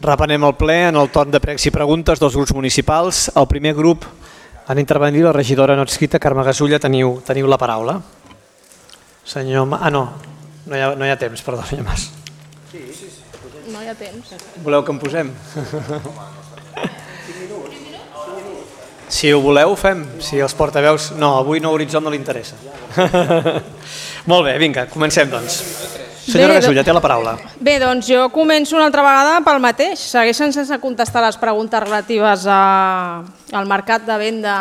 Reprenem el ple en el torn de pregs i preguntes dels grups municipals. El primer grup han intervenit la regidora no adscrita, Carme Gasulla. Teniu la paraula. Senyor... no hi ha temps, perdó, senyor Mas. Sí. No hi ha temps. Voleu que en posem? Si ho voleu, ho fem. Si els portaveus... No, avui No Horitzó no li interessa. Molt bé, vinga, comencem doncs. Senyora Gasulla, té la paraula. Bé, doncs jo començo una altra vegada pel mateix. Segueixen sense contestar les preguntes relatives al mercat de venda,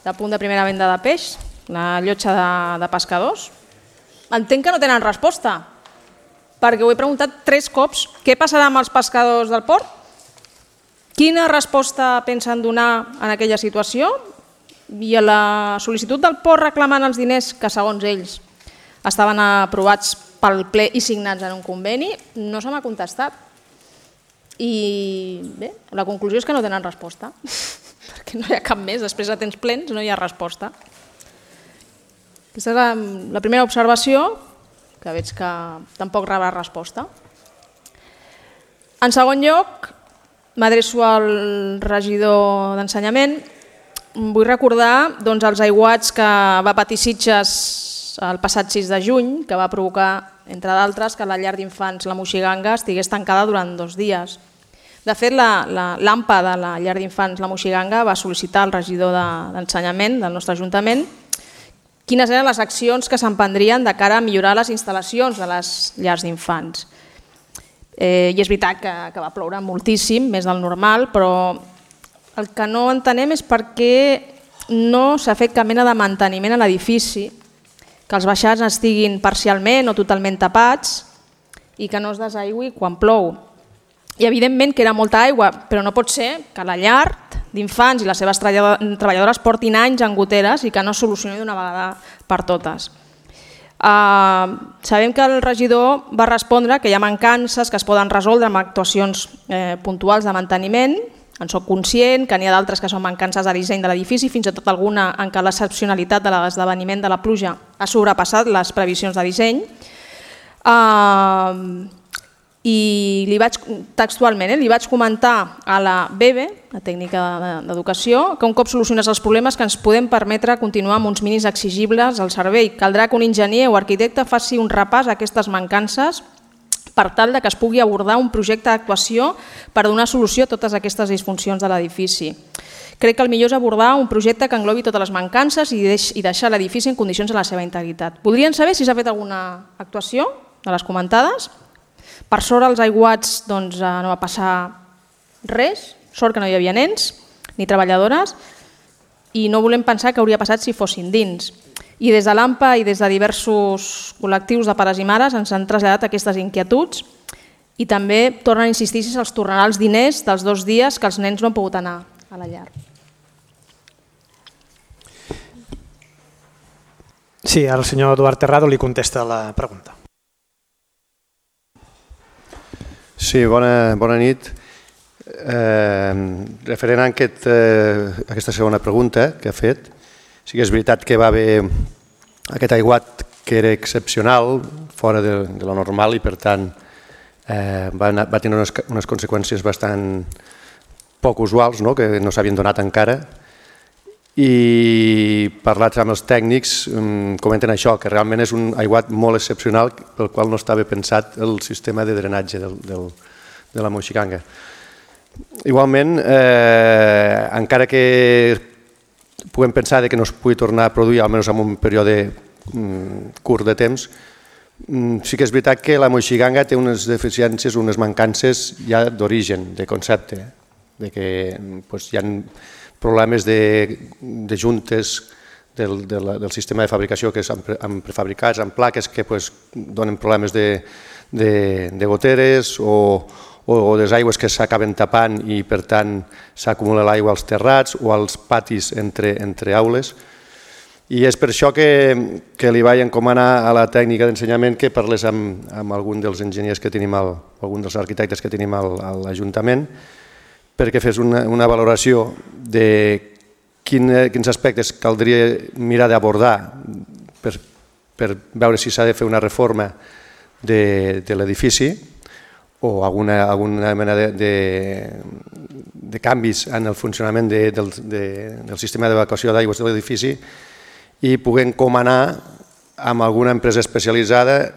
de punt de primera venda de peix, la llotja de pescadors. Entenc que no tenen resposta, perquè ho he preguntat 3 cops. Què passarà amb els pescadors del port? Quina resposta pensen donar en aquella situació? I a la sol·licitud del port reclamant els diners que, segons ells, estaven aprovats pel ple i signats en un conveni, no se m'ha contestat. I bé, la conclusió és que no tenen resposta, perquè no hi ha cap més, després de temps plens no hi ha resposta. Aquesta és la primera observació, que veig que tampoc rebrà resposta. En segon lloc, m'adreço al regidor d'Ensenyament. Vull recordar els aiguats que va patir Sitges el passat 6 de juny, que va provocar, entre d'altres, que la llar d'infants La Moixiganga estigués tancada durant 2 dies. De fet, l'AMPA de la llar d'infants La Moixiganga va sol·licitar al regidor d'Ensenyament del nostre Ajuntament quines eren les accions que s'emprendrien de cara a millorar les instal·lacions de les llars d'infants. I és veritat que va ploure moltíssim, més del normal, però el que no entenem és per què no s'ha fet cap mena de manteniment a l'edifici, que els baixats estiguin parcialment o totalment tapats i que no es desaigüi quan plou. I evidentment que era molta aigua, però no pot ser que la llar d'infants i les seves treballadores portin anys en goteres i que no es solucioni d'una vegada per totes. Sabem que el regidor va respondre que hi ha mancances que es poden resoldre amb actuacions puntuals de manteniment. En soc conscient que n'hi ha d'altres que són mancances de disseny de l'edifici, fins i tot alguna en què l'excepcionalitat de l'esdeveniment de la pluja ha sobrepassat les previsions de disseny. I li vaig textualment li vaig comentar a la BEBE, la tècnica d'educació, que un cop solucionats els problemes que ens podem permetre continuar amb uns mínims exigibles al servei. Caldrà que un enginyer o arquitecte faci un repàs a aquestes mancances per tal que es pugui abordar un projecte d'actuació per donar solució a totes aquestes disfuncions de l'edifici. Crec que el millor és abordar un projecte que englobi totes les mancances i deixar l'edifici en condicions de la seva integritat. Voldrien saber si s'ha fet alguna actuació de les comentades. Per sort als aiguats no va passar res, sort que no hi havia nens ni treballadores i no volem pensar que hauria passat si fossin dins. I des de l'AMPA i des de diversos col·lectius de pares i mares ens han traslladat aquestes inquietuds i també tornen a insistir si se'ls tornarà els diners dels 2 dies que els nens no han pogut anar a la llar. Sí, ara el senyor Eduard Terrado li contesta la pregunta. Sí, bona nit. Referent a aquesta segona pregunta que ha fet, sí que és veritat que va haver aquest aiguat que era excepcional, fora de lo normal i per tant va tenir unes conseqüències bastant poc usuals, que no s'havien donat encara. I parlat amb els tècnics comenten això, que realment és un aiguat molt excepcional pel qual no estava pensat el sistema de drenatge de la Moixiganga. Igualment, encara que puguem pensar que no es pugui tornar a produir, almenys en un període curt de temps, sí que és veritat que la Moixiganga té unes deficiències, unes mancances ja d'origen, de concepte, que hi ha problemes de juntes del sistema de fabricació que són prefabricats, amb plaques que donen problemes de goteres o les aigües que s'acaben tapant i per tant s'acumula l'aigua als terrats o als patis entre aules. I és per això que li vaig encomanar a la tècnica d'ensenyament que parlés amb algun dels enginyers que tenim, algun dels arquitectes que tenim a l'Ajuntament, perquè fes una valoració de quins aspectes caldria mirar d'abordar per veure si s'ha de fer una reforma de l'edifici o alguna mena de canvis en el funcionament del sistema d'evacuació d'aigües de l'edifici i puguem encomanar amb alguna empresa especialitzada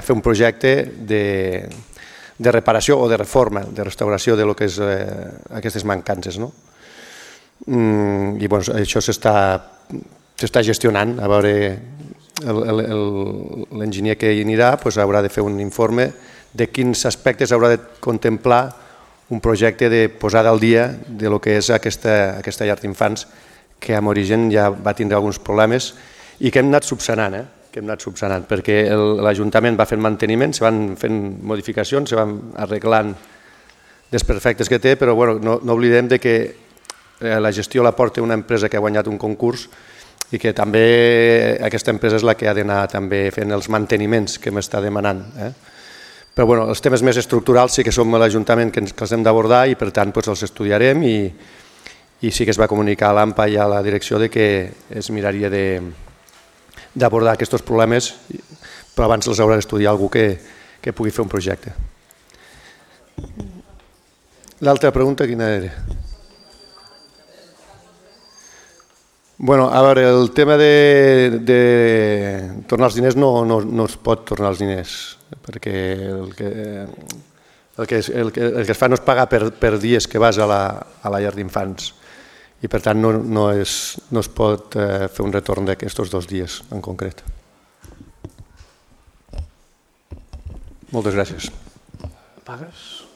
fer un projecte de reparació o de reforma, de restauració de lo que és aquestes mancances. I això s'està gestionant. A veure, l'enginyer que hi anirà haurà de fer un informe de quins aspectes haurà de contemplar un projecte de posada al dia de lo que és aquesta llar d'infants que amb origen ja va tindre alguns problemes i que hem anat subsanant, perquè l'Ajuntament va fent manteniment, se van fent modificacions, se van arreglant desperfectes que té, però no oblidem que la gestió la porta una empresa que ha guanyat un concurs i que també aquesta empresa és la que ha d'anar també fent els manteniments que m'està demanant. Però els temes més estructurals sí que som l'Ajuntament que els hem d'abordar i per tant els estudiarem i sí que es va comunicar a l'AMPA i a la direcció que es miraria d'abordar aquests problemes, però abans els haurà d'estudiar algú que pugui fer un projecte. L'altra pregunta quina era? A veure, el tema de tornar els diners no es pot tornar els diners, perquè el que es fa no es paga per dies que vas a la llar d'infants i per tant no es pot fer un retorn d'aquests 2 dies en concret. Moltes gràcies. Pagues?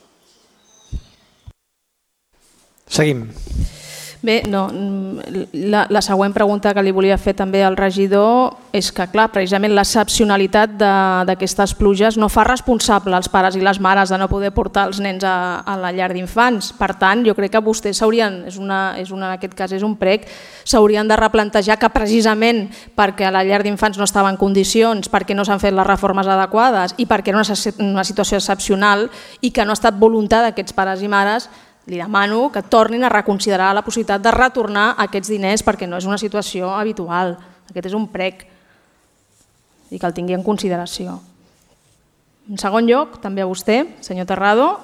Seguim. Bé, la següent pregunta que li volia fer també al regidor és que, clar, precisament l'excepcionalitat d'aquestes pluges no fa responsable als pares i les mares de no poder portar els nens a la llar d'infants. Per tant, jo crec que vostès s'haurien, en aquest cas és un prec, s'haurien de replantejar que precisament perquè la llar d'infants no estava en condicions, perquè no s'han fet les reformes adequades i perquè era una situació excepcional i que no ha estat voluntat d'aquests pares i mares, li demano que tornin a reconsiderar la possibilitat de retornar aquests diners perquè no és una situació habitual. Aquest és un prec i que el tingui en consideració. En segon lloc, també a vostè, senyor Terrado,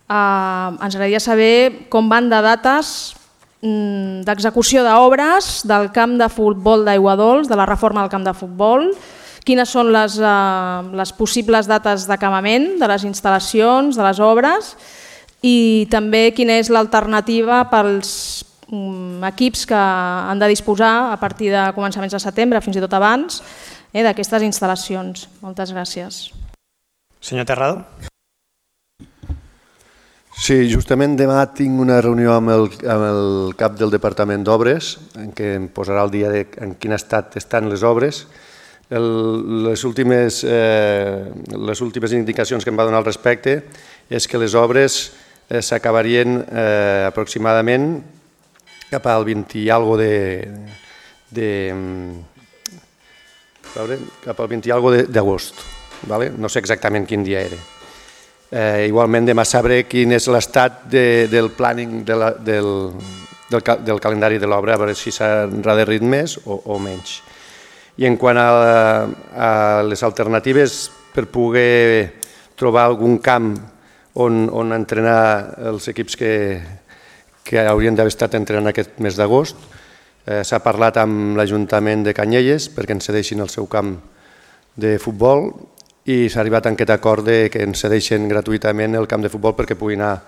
ens agradaria saber com van de dates d'execució d'obres del camp de futbol d'Aiguadols, de la reforma del camp de futbol, quines són les possibles dates d'acabament de les instal·lacions, de les obres, i també quina és l'alternativa pels equips que han de disposar a partir de començaments de setembre, fins i tot abans, d'aquestes instal·lacions. Moltes gràcies. Senyor Terrado. Sí, justament demà tinc una reunió amb el cap del Departament d'Obres en què em posarà al dia en quin estat estan les obres. Les últimes indicacions que em va donar al respecte és que les obres s'acabarien aproximadament cap al 20 i algo d'agost. No sé exactament quin dia era. Igualment demà sabré quin és l'estat del planning del calendari de l'obra, a veure si s'ha endarrerit més o menys. I en quant a les alternatives per poder trobar algun camp on entrenar els equips que haurien d'haver estat entrenant aquest mes d'agost. S'ha parlat amb l'Ajuntament de Canyelles perquè ens cedeixin el seu camp de futbol i s'ha arribat a aquest acord que ens cedeixen gratuïtament el camp de futbol perquè puguin anar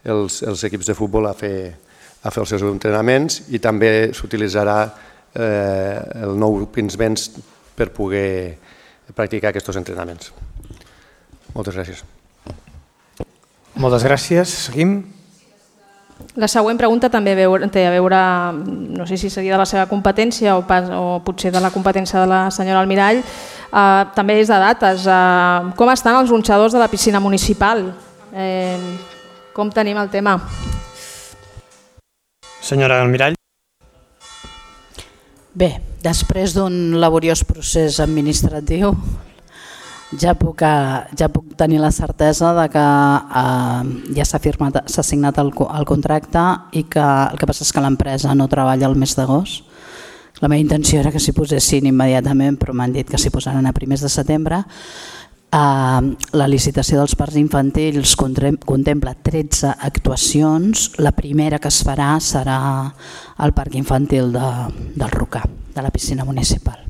els equips de futbol a fer els seus entrenaments i també s'utilitzarà el nou Pinsbens per poder practicar aquests entrenaments. Moltes gràcies. Moltes gràcies. Seguim. La següent pregunta també té a veure, no sé si seria de la seva competència o potser de la competència de la senyora Almirall, també és de dates. Com estan els gronxadors de la piscina municipal? Com tenim el tema? Senyora Almirall. Bé, després d'un laboriós procés administratiu, ja puc tenir la certesa de que ja s'ha signat el contracte i que el que passa és que l'empresa no treballa el mes d'agost. La meva intenció era que s'hi posessin immediatament, però m'han dit que s'hi posaran a primers de setembre. La licitació dels parcs infantils contempla 13 actuacions. La primera que es farà serà al parc infantil del Rocà, de la piscina municipal.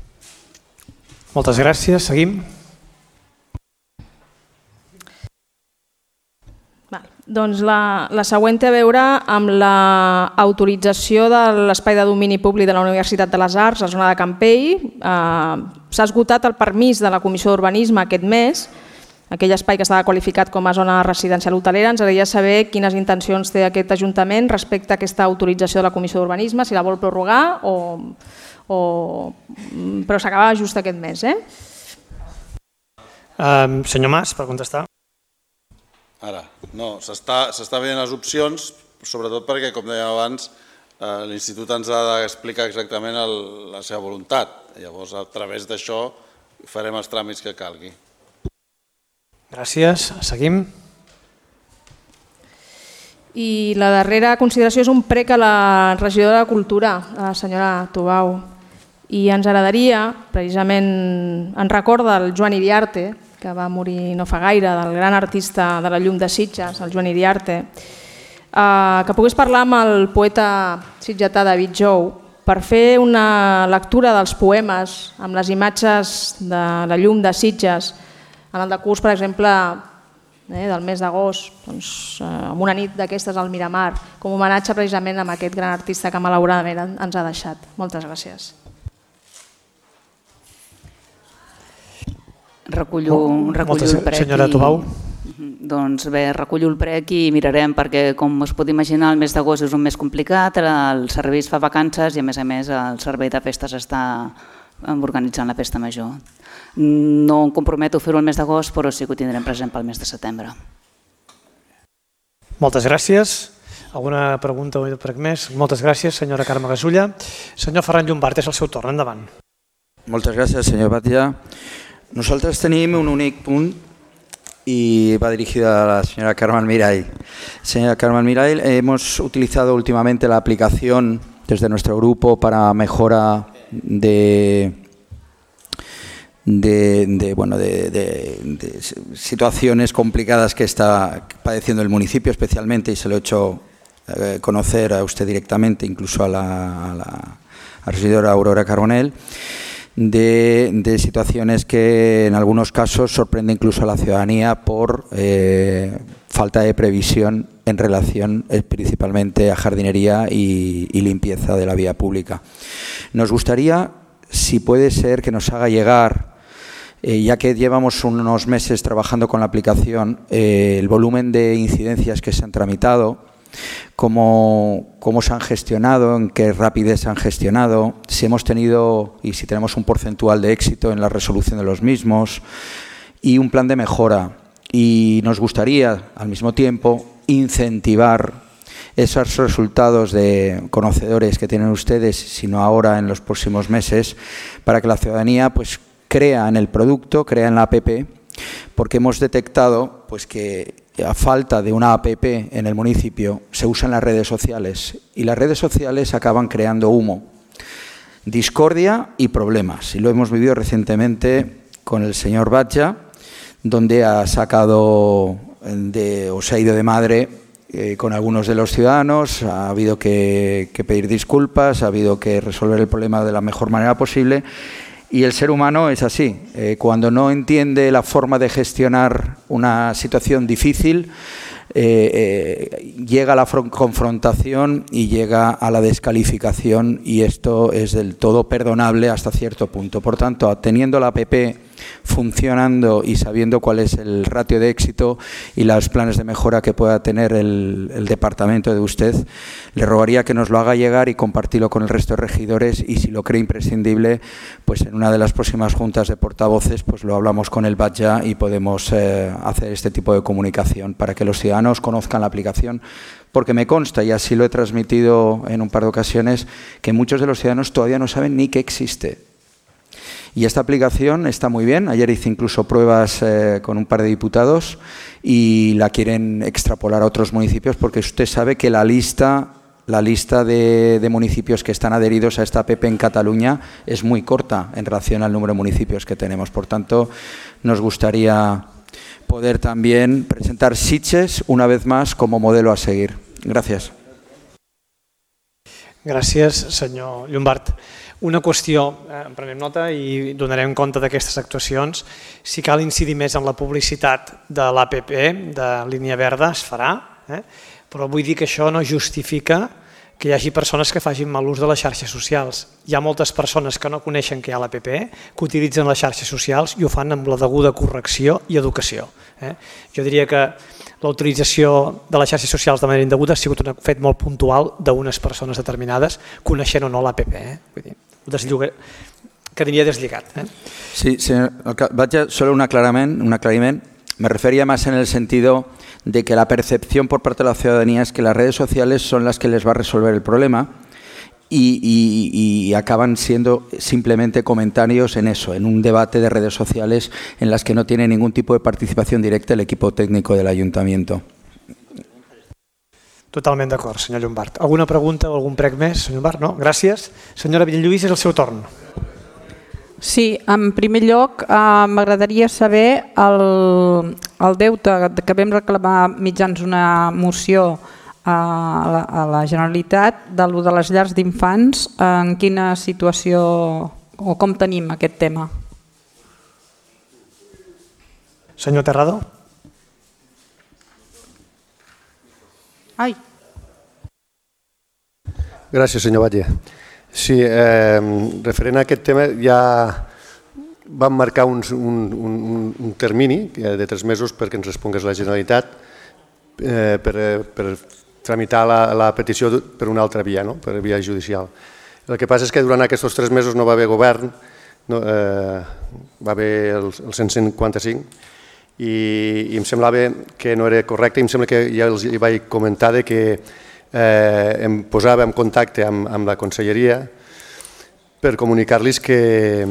Moltes gràcies. Seguim. Doncs la següent té a veure amb l'autorització de l'espai de domini públic de la Universitat de les Arts, la zona de Campell. S'ha esgotat el permís de la Comissió d'Urbanisme aquest mes, aquell espai que estava qualificat com a zona residencial hotelera. Ens agradaria saber quines intencions té aquest Ajuntament respecte a aquesta autorització de la Comissió d'Urbanisme, si la vol prorrogar però s'acaba just aquest mes. Senyor Mas, per contestar. Ara, no, s'està veient les opcions, sobretot perquè, com dèiem abans, l'Institut ens ha d'explicar exactament la seva voluntat. Llavors, a través d'això, farem els tràmits que calgui. Gràcies. Seguim. I la darrera consideració és un prec a la regidora de Cultura, la senyora Tubau. I ens agradaria, precisament, en record del Joan Iriarte, que va morir no fa gaire, del gran artista de la llum de Sitges, el Joan Iriarte, que pogués parlar amb el poeta sitgetà David Jou per fer una lectura dels poemes amb les imatges de la llum de Sitges en el decurs, per exemple, del mes d'agost, amb una nit d'aquestes al Miramar, com a homenatge precisament a aquest gran artista que malauradament ens ha deixat. Moltes gràcies. Recullo el prec. Senyora Tubau. Doncs bé, recullo el prec i mirarem, perquè com es pot imaginar el mes d'agost és un mes complicat, el servei es fa vacances i a més el servei de festes està organitzant la festa major. No em comprometo a fer-ho el mes d'agost, però sí que ho tindrem present pel mes de setembre. Moltes gràcies. Alguna pregunta o prec més? Moltes gràcies, senyora Carme Gasulla. Senyor Ferran Llombart, és el seu torn, endavant. Moltes gràcies, senyor Batlle. Nosotros tenemos un único punto y va dirigido a la señora Carme Almirall. Señora Carme Almirall, hemos utilizado últimamente la aplicación desde nuestro grupo para mejora de situaciones complicadas que está padeciendo el municipio especialmente, y se lo he hecho conocer a usted directamente, incluso a la regidora Aurora Carbonell, de situaciones que en algunos casos sorprende incluso a la ciudadanía por falta de previsión en relación principalmente a jardinería y limpieza de la vía pública. Nos gustaría, si puede ser, que nos haga llegar, ya que llevamos unos meses trabajando con la aplicación, el volumen de incidencias que se han tramitado, cómo se han gestionado, en qué rapidez se han gestionado, si hemos tenido y si tenemos un porcentual de éxito en la resolución de los mismos y un plan de mejora. Y nos gustaría, al mismo tiempo, incentivar esos resultados de conocedores que tienen ustedes, sino ahora en los próximos meses, para que la ciudadanía pues crea en el producto, crea en la APP, porque hemos detectado pues que a falta de una APP en el municipio se usan las redes sociales y las redes sociales acaban creando humo, discordia y problemas. Y lo hemos vivido recientemente con el señor Batlle, donde ha sacado o se ha ido de madre con algunos de los ciudadanos, ha habido que pedir disculpas, ha habido que resolver el problema de la mejor manera posible. Y el ser humano es así, cuando no entiende la forma de gestionar una situación difícil, llega a la confrontación y llega a la descalificación, y esto es del todo perdonable hasta cierto punto. Por tanto, teniendo la APP funcionando y sabiendo cuál es el ratio de éxito y los planes de mejora que pueda tener el departamento de usted, le rogaría que nos lo haga llegar y compartirlo con el resto de regidores, y si lo cree imprescindible, pues en una de las próximas juntas de portavoces pues lo hablamos con el Batlle y podemos hacer este tipo de comunicación para que los ciudadanos conozcan la aplicación, porque me consta, y así lo he transmitido en un par de ocasiones, que muchos de los ciudadanos todavía no saben ni que existe. Y esta aplicación está muy bien. Ayer hice incluso pruebas con un par de diputados y la quieren extrapolar a otros municipios, porque usted sabe que la lista la lista de municipios que están adheridos a esta APP en Cataluña es muy corta en relación al número de municipios que tenemos. Por tanto, nos gustaría poder también presentar Sitges una vez más como modelo a seguir. Gracias. Gràcies, senyor Llombart. Una qüestió, en prenem nota i donarem compte d'aquestes actuacions. Si cal incidir més en la publicitat de l'APP, de línia verda, es farà, però vull dir que això no justifica que hi hagi persones que facin mal ús de les xarxes socials. Hi ha moltes persones que no coneixen que hi ha l'APP, que utilitzen les xarxes socials i ho fan amb la deguda correcció i educació. Jo diria que la utilització de les xarxes socials de manera indeguda ha sigut un fet molt puntual d'unes persones determinades, coneixent o no l'APP. Quedaria deslligat. Sí, señor, solo un aclaramiento. Me refería más en el sentido de que la percepción por parte de la ciudadanía es que las redes sociales son las que les va a resolver el problema y acaban siendo simplemente comentarios en eso, en un debate de redes sociales en las que no tiene ningún tipo de participación directa el equipo técnico del Ayuntamiento. Totalment d'acord, senyor Llombart. Alguna pregunta o algun prec més, senyor Llombart? No? Gràcies. Senyora Villalluís, és el seu torn. Sí, en primer lloc m'agradaria saber el deute que vam reclamar mitjans una moció a la Generalitat de les llars d'infants, en quina situació o com tenim aquest tema? Senyor Terrado. Gràcies, senyor Batlle. Sí, referent a aquest tema ja vam marcar un termini de 3 mesos perquè ens respongués la Generalitat per tramitar la petició per una altra via, per via judicial. El que passa és que durant aquests 3 mesos no va haver govern, va haver el 155 i em semblava que no era correcte i em sembla que ja els vaig comentar que em posava en contacte amb la conselleria per comunicar-los que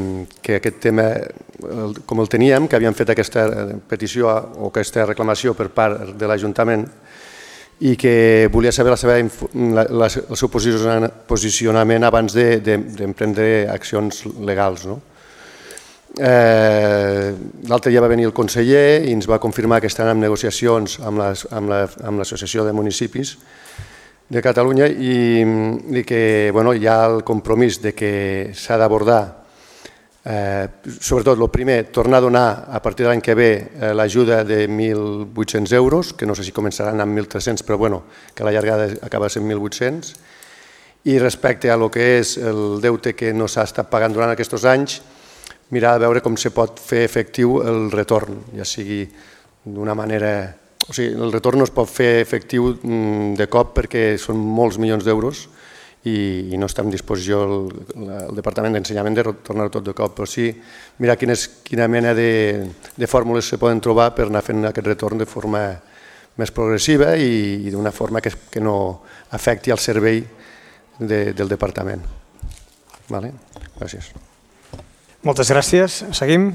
aquest tema, com el teníem, que havíem fet aquesta petició o aquesta reclamació per part de l'Ajuntament i que volia saber el seu posicionament abans d'emprendre accions legals. L'altre dia va venir el conseller i ens va confirmar que estan en negociacions amb l'Associació de Municipis de Catalunya i que hi ha el compromís que s'ha d'abordar, sobretot el primer, tornar a donar a partir de l'any que ve l'ajuda de 1.800 euros, que no sé si començaran amb 1.300, però que a la llargada acaba sent 1.800, i respecte a lo que és el deute que no s'ha estat pagant durant aquests anys, mirar a veure com se pot fer efectiu el retorn, ja sigui d'una manera... O sigui, el retorn no es pot fer efectiu de cop perquè són molts milions d'euros i no està en disposició el Departament d'Ensenyament de retornar-ho tot de cop, però sí mirar quina mena de fórmules se poden trobar per anar fent aquest retorn de forma més progressiva i d'una forma que no afecti el servei del Departament. Gràcies. Moltes gràcies. Seguim.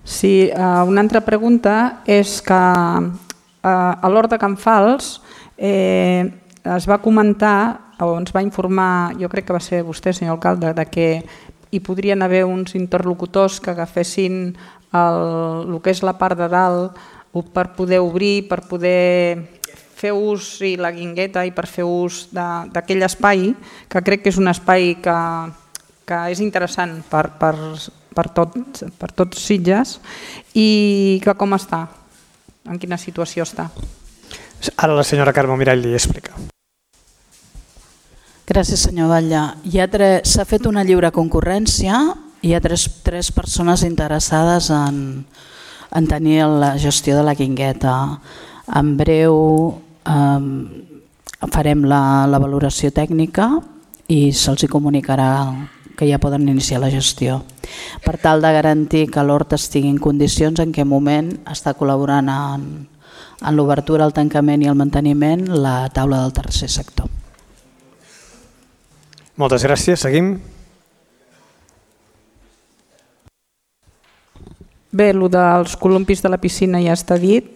Sí, una altra pregunta és que a l'Hort de Can Fals es va comentar o ens va informar, jo crec que va ser vostè, senyor alcalde, que hi podrien haver uns interlocutors que agafessin el que és la part de dalt per poder obrir, per poder fer ús i la guingueta i per fer ús d'aquell espai, que crec que és un espai que és interessant per tots Sitges i que com està, en quina situació està. Ara la senyora Carme Mirall li explica. Gràcies, senyor Batlle. S'ha fet una lliure concurrència i hi ha tres persones interessades en tenir la gestió de la guingueta. En breu farem la valoració tècnica i se'ls comunicarà que ja poden iniciar la gestió. Per tal de garantir que l'hort estigui en condicions, en què moment està col·laborant en l'obertura, el tancament i el manteniment la taula del tercer sector. Moltes gràcies. Seguim. Bé, el dels columpis de la piscina ja està dit.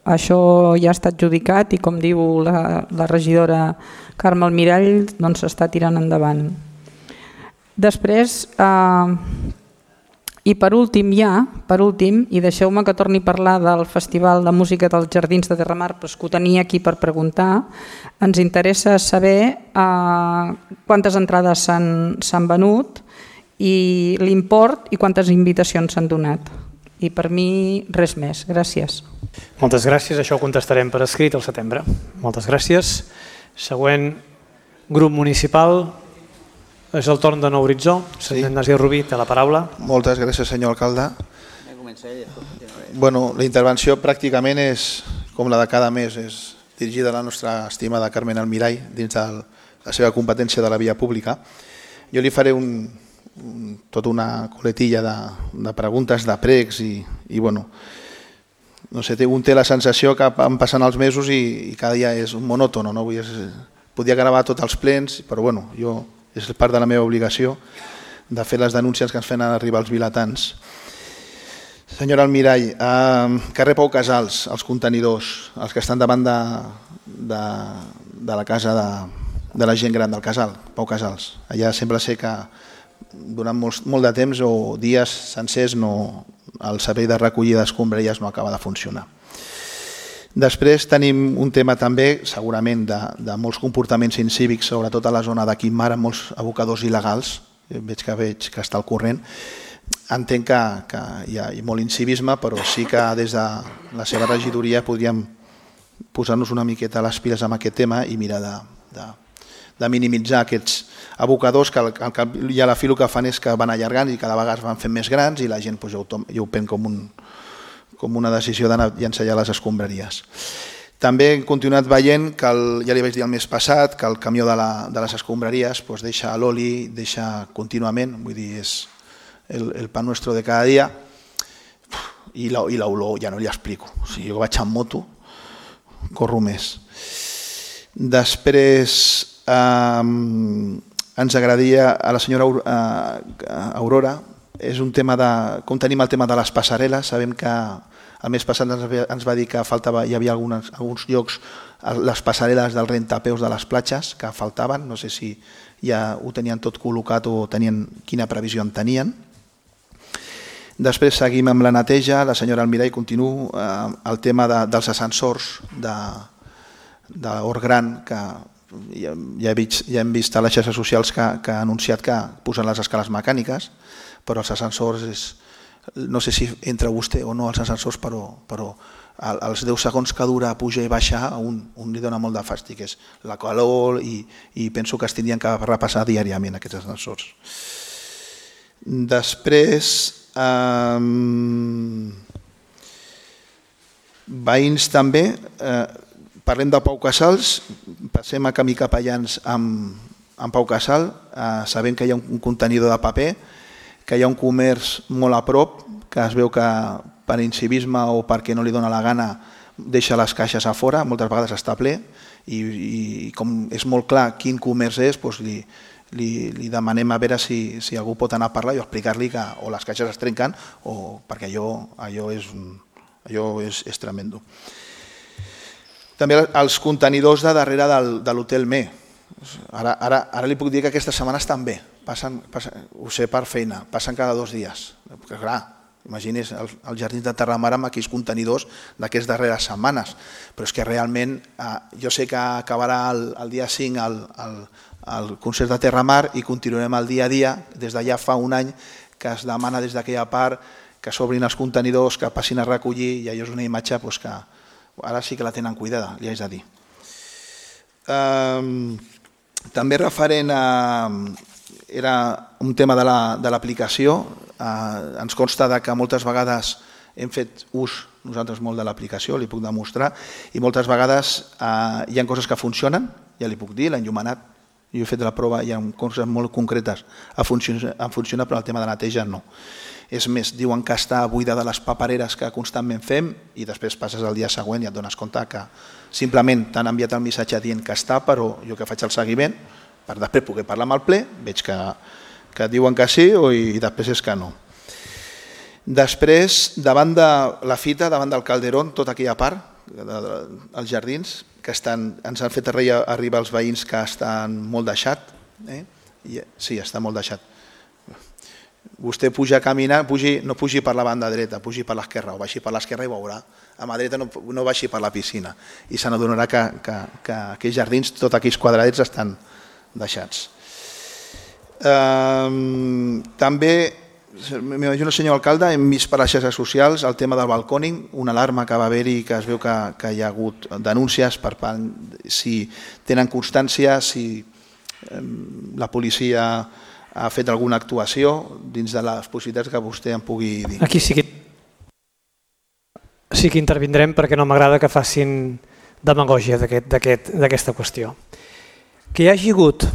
això ja està adjudicat i, com diu la regidora Carme Almirall, doncs s'està tirant endavant. Després, i per últim, i deixeu-me que torni a parlar del Festival de Música dels Jardins de Terramar, però és que ho tenia aquí per preguntar, ens interessa saber quantes entrades s'han venut i l'import i quantes invitacions s'han donat. I per mi res més. Gràcies. Moltes gràcies, això ho contestarem per escrit al setembre. Moltes gràcies. Següent grup municipal és el torn de Nou Horitzó. Senyor Ignasi Rubí, té la paraula. Moltes gràcies, senyor alcalde. Bueno, la intervenció pràcticament és com la de cada mes, és dirigida a la nostra estimada Carmen Almirall dins de la seva competència de la via pública. Jo li faré tota una coletilla de preguntes, de pregs i bueno, no sé, un té la sensació que van passant els mesos i cada dia és un monòtono, no? Podia gravar tots els plens, però bueno, és part de la meva obligació de fer les denúncies que ens fan arribar els vilatans. Senyora Almirall, carrer Pau Casals, els contenidors, els que estan davant de la casa de la gent gran del casal, Pau Casals. Allà sembla ser que durant molt de temps o dies sencers el servei de recollida d'escombraries no acaba de funcionar. Després tenim un tema també, segurament, de molts comportaments incívics, sobretot a la zona de Quimar, amb molts abocadors il·legals. Veig que està al corrent. Entenc que hi ha molt incivisme, però sí que des de la seva regidoria podríem posar-nos una miqueta les piles amb aquest tema i mirar de minimitzar aquests abocadors que ja a la fi el que fan és que van allargant i cada vegada es van fent més grans i la gent ja ho pren com una decisió d'anar a llançar les escombraries. També hem continuat veient que, ja li vaig dir el mes passat, que el camió de les escombraries deixa l'oli, deixa contínuament, vull dir, és el pan nuestro de cada dia, i l'olor ja no li explico. O sigui, jo vaig amb moto, corro més. Després ens agradaria a la senyora Aurora, és un tema com tenim el tema de les passarel·les. Sabem que el mes passat ens va dir que hi havia alguns llocs, les passarel·les del rentapeus de les platges que faltaven, no sé si ja ho tenien tot col·locat o quina previsió en tenien. Després seguim amb la neteja, la senyora Almirall continuo, el tema dels ascensors d'Hort Gran, que ja hem vist a les xarxes socials que ha anunciat que posen les escales mecàniques, però els ascensors, no sé si entra vostè o no als ascensors, però els 10 segons que dura pujar i baixar a un li dona molt de fàstic, és la calor i penso que es tindrien que repassar diàriament aquests ascensors. Després, veïns també, parlem de Pau Casals, passem a camí capellans amb Pau Casal, sabem que hi ha un contenidor de paper, que hi ha un comerç molt a prop, que es veu que per incivisme o perquè no li dona la gana deixa les caixes a fora, moltes vegades està ple, i com és molt clar quin comerç és, li demanem a veure si algú pot anar a parlar i explicar-li que o les caixes es trenquen o perquè allò és tremendo. També els contenidors de darrere de l'Hotel Me. Ara li puc dir que aquestes setmanes també, ho sé per feina, passen cada 2 dies. Clar, imagini's els jardins de Terramar amb aquells contenidors d'aquestes darreres setmanes, però és que realment jo sé que acabarà el dia 5 el concert de Terramar i continuarem el dia a dia. Des d'allà fa un any que es demana des d'aquella part que s'obrin els contenidors, que passin a recollir, i allò és una imatge que ara sí que la tenen cuidada, li haig de dir. També referent era un tema de l'aplicació. Ens consta que moltes vegades hem fet ús nosaltres molt de l'aplicació, li puc demostrar, i moltes vegades hi ha coses que funcionen, ja li puc dir, l'enllumenat, jo he fet la prova, hi ha coses molt concretes, funciona, però el tema de neteja no. És més, diuen que està buida de les papereres que constantment fem i després passes el dia següent i et dones compte que simplement t'han enviat el missatge dient que està, però jo que faig el seguiment, per després poder parlar amb el ple, veig que diuen que sí i després és que no. Després, davant de la fita, davant del Calderón, tota aquella part, els jardins, que ens han fet arribar els veïns que estan molt deixat. Sí, està molt deixat. Vostè puja caminant, no pugi per la banda dreta, pugi per l'esquerra, o baixi per l'esquerra i veurà. A mà dreta no baixi per la piscina i se n'adonarà que aquells jardins, tots aquells quadradets estan deixats. També, m'imagino, senyor alcalde, hem vist per les xarxes socials el tema del balcòning, una alarma que va haver-hi, que es veu que hi ha hagut denúncies per part, si tenen constància, si la policia ha fet alguna actuació dins de les possibilitats que vostè en pugui dir. Aquí sí que intervindrem perquè no m'agrada que facin demagògia d'aquesta qüestió. Que hi hagi hagut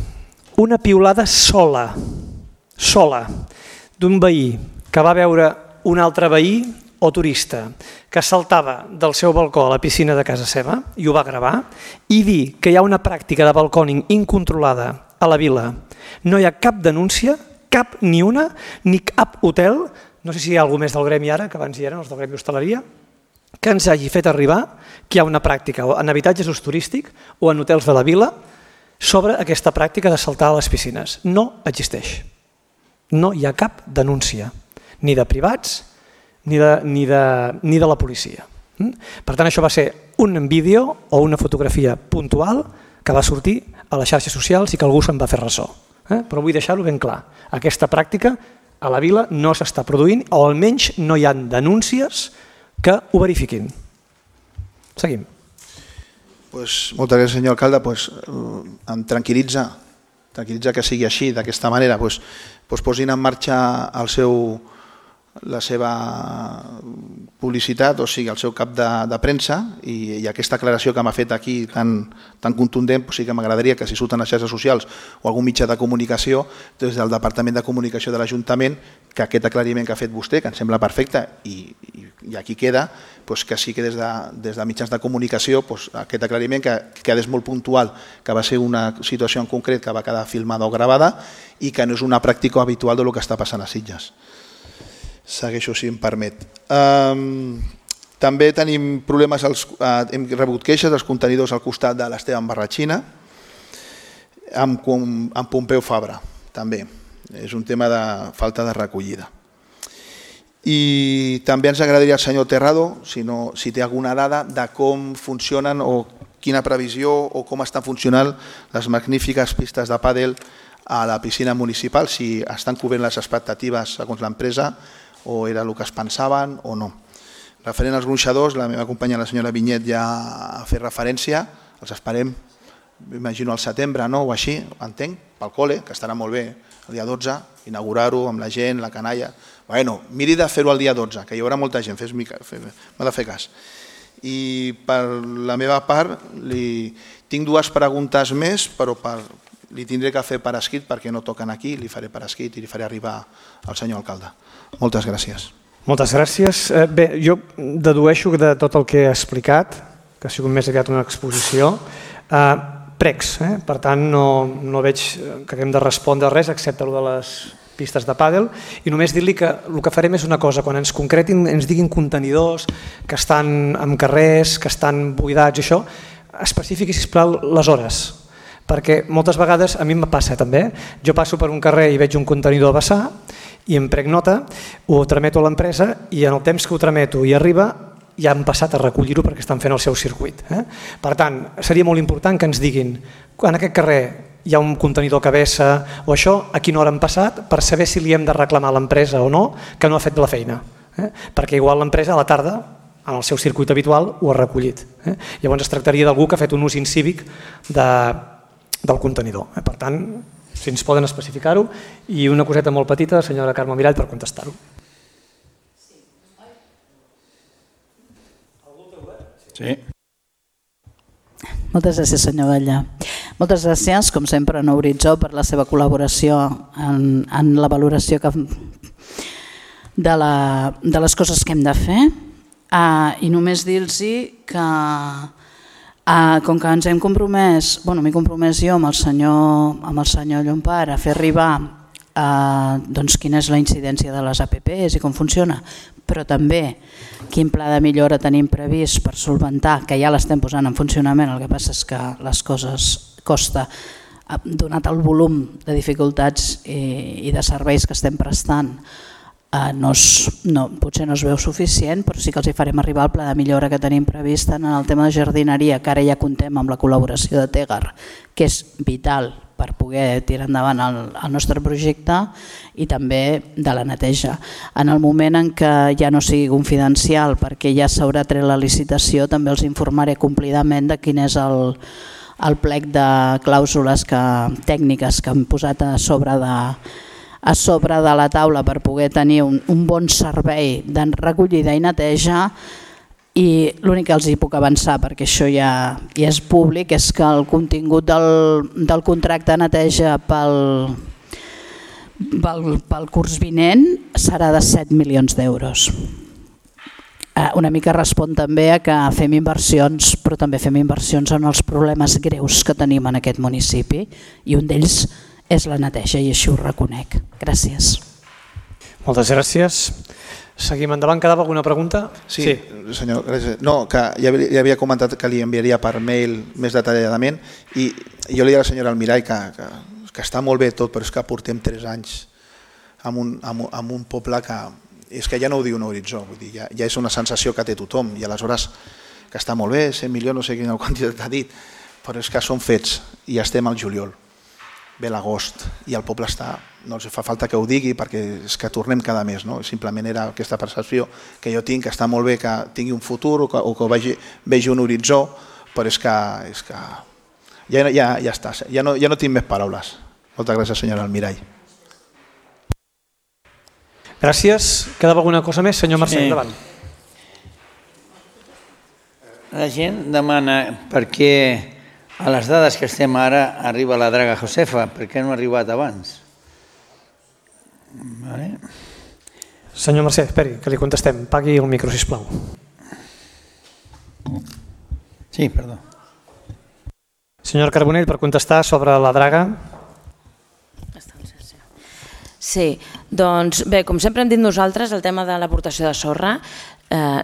una piulada sola d'un veí que va veure un altre veí o turista que saltava del seu balcó a la piscina de casa seva i ho va gravar, i dir que hi ha una pràctica de balcòning incontrolada a la vila. No hi ha cap denúncia, cap ni una, ni cap hotel, no sé si hi ha algú més del gremi ara, que abans hi eren els del gremi hostaleria, que ens hagi fet arribar que hi ha una pràctica en habitatges d'ús turístic o en hotels de la vila sobre aquesta pràctica de saltar a les piscines. No existeix. No hi ha cap denúncia, ni de privats ni de la policia. Per tant, això va ser un vídeo o una fotografia puntual que va sortir a les xarxes socials i que algú se'n va fer ressò. Però vull deixar-ho ben clar. Aquesta pràctica a la vila no s'està produint, o almenys no hi ha denúncies que ho verifiquin. Seguim. Moltes gràcies, senyor alcalde. Em tranquil·litza que sigui així, d'aquesta manera. Posin en marxa la seva publicitat, o sigui, el seu cap de premsa, i aquesta aclaració que m'ha fet aquí tan contundent, sí que m'agradaria que si surten les xarxes socials o algun mitjà de comunicació, des del Departament de Comunicació de l'Ajuntament, que aquest aclariment que ha fet vostè, que em sembla perfecte, i aquí queda, que sí que des de mitjans de comunicació aquest aclariment que quedés molt puntual, que va ser una situació en concret que va quedar filmada o gravada i que no és una pràctica habitual del que està passant a Sitges. Segueixo, si em permet. També tenim problemes, hem rebut queixes dels contenidors al costat de l'Esteban Barratxina, amb Pompeu Fabra, també. És un tema de falta de recollida. I també ens agradaria, el senyor Terrado, si té alguna dada de com funcionen o quina previsió o com estan funcionant les magnífiques pistes de pàdel a la piscina municipal, si estan cobrint les expectatives segons l'empresa o era el que es pensaven o no. Referent als gronxadors, la meva companya, la senyora Vinyet, ja ha fet referència, els esperem, m'imagino al setembre o així, entenc, pel col·le, que estarà molt bé el dia 12, inaugurar-ho amb la gent, la canalla. Miri de fer-ho el dia 12, que hi haurà molta gent, m'ha de fer cas. I per la meva part, tinc dues preguntes més, però li tindré que fer per escrit perquè no toquen aquí, li faré per escrit i li faré arribar al senyor alcalde. Moltes gràcies. Moltes gràcies. Bé, jo dedueixo de tot el que he explicat, que ha sigut més aviat una exposició, pregs, per tant no veig que haguem de respondre res excepte el de les pistes de pàdel, i només dir-li que el que farem és una cosa, quan ens concretin, ens diguin contenidors que estan en carrers, que estan buidats i això, especifiqui, sisplau, les hores, perquè moltes vegades, a mi em passa també, jo passo per un carrer i veig un contenidor a vessar i em prenc nota, ho trameto a l'empresa i en el temps que ho trameto i arriba ja han passat a recollir-ho perquè estan fent el seu circuit. Per tant, seria molt important que ens diguin en aquest carrer hi ha un contenidor que vessa o això, a quina hora han passat, per saber si li hem de reclamar a l'empresa o no, que no ha fet la feina. Perquè igual l'empresa a la tarda, en el seu circuit habitual, ho ha recollit. Llavors es tractaria d'algú que ha fet un ús incívic del contenidor. Per tant, si ens poden especificar-ho. I una coseta molt petita, senyora Carme Mirall, per contestar-ho. Sí. Moltes gràcies, senyor Batlle. Moltes gràcies, com sempre, a Nou Horitzó per la seva col·laboració en la valoració de les coses que hem de fer. I només dir-los que, com que ens hem compromès, m'he compromès jo amb el senyor Llompart a fer arribar doncs quina és la incidència de les APPs i com funciona, però també quin pla de millora tenim previst per solventar, que ja l'estem posant en funcionament, el que passa és que les coses costa, donat el volum de dificultats i de serveis que estem prestant, potser no es veu suficient, però sí que els hi farem arribar el pla de millora que tenim previst en el tema de jardineria, que ara ja contem amb la col·laboració de Tegar, que és vital per poder tirar endavant el nostre projecte, i també de la neteja. En el moment en què ja no sigui confidencial, perquè ja s'haurà tret la licitació, també els informaré complidament de quin és el plec de clàusules tècniques que hem posat a sobre de la taula per poder tenir un bon servei de recollida i neteja. I l'únic que els hi puc avançar, perquè això ja és públic, és que el contingut del contracte de neteja pel curs vinent serà de 7 milions d'euros. Una mica respon també a que fem inversions, però també fem inversions en els problemes greus que tenim en aquest municipi, i un d'ells és la neteja, i així ho reconec. Gràcies. Moltes gràcies. Seguim endavant. Quedava alguna pregunta? Sí, senyor. No, que ja havia comentat que li enviaria per mail més detalladament, i jo li diria a la senyora Almirall que està molt bé tot, però és que portem 3 anys en un poble que és que ja no ho diu un horitzó, vull dir, ja és una sensació que té tothom, i aleshores que està molt bé, 100 milions, no sé quina quantitat ha dit, però és que són fets i estem al juliol. Ve l'agost i el poble està, no els fa falta que ho digui perquè és que tornem cada mes, no? Simplement era aquesta percepció que jo tinc, que està molt bé que tingui un futur o que vegi un horitzó, però és que ja està, ja no tinc més paraules. Moltes gràcies, senyora Almirall. Gràcies. Quedava alguna cosa més? Senyor Mercè, endavant. La gent demana per què a les dades que estem ara arriba la draga Josefa, per què no ha arribat abans? Senyor Mercè, esperi, que li contestem. Pagui el micro, sisplau. Sí, perdó. Senyor Carbonell, per contestar sobre la draga. Sí, doncs bé, com sempre hem dit nosaltres, el tema de l'aportació de sorra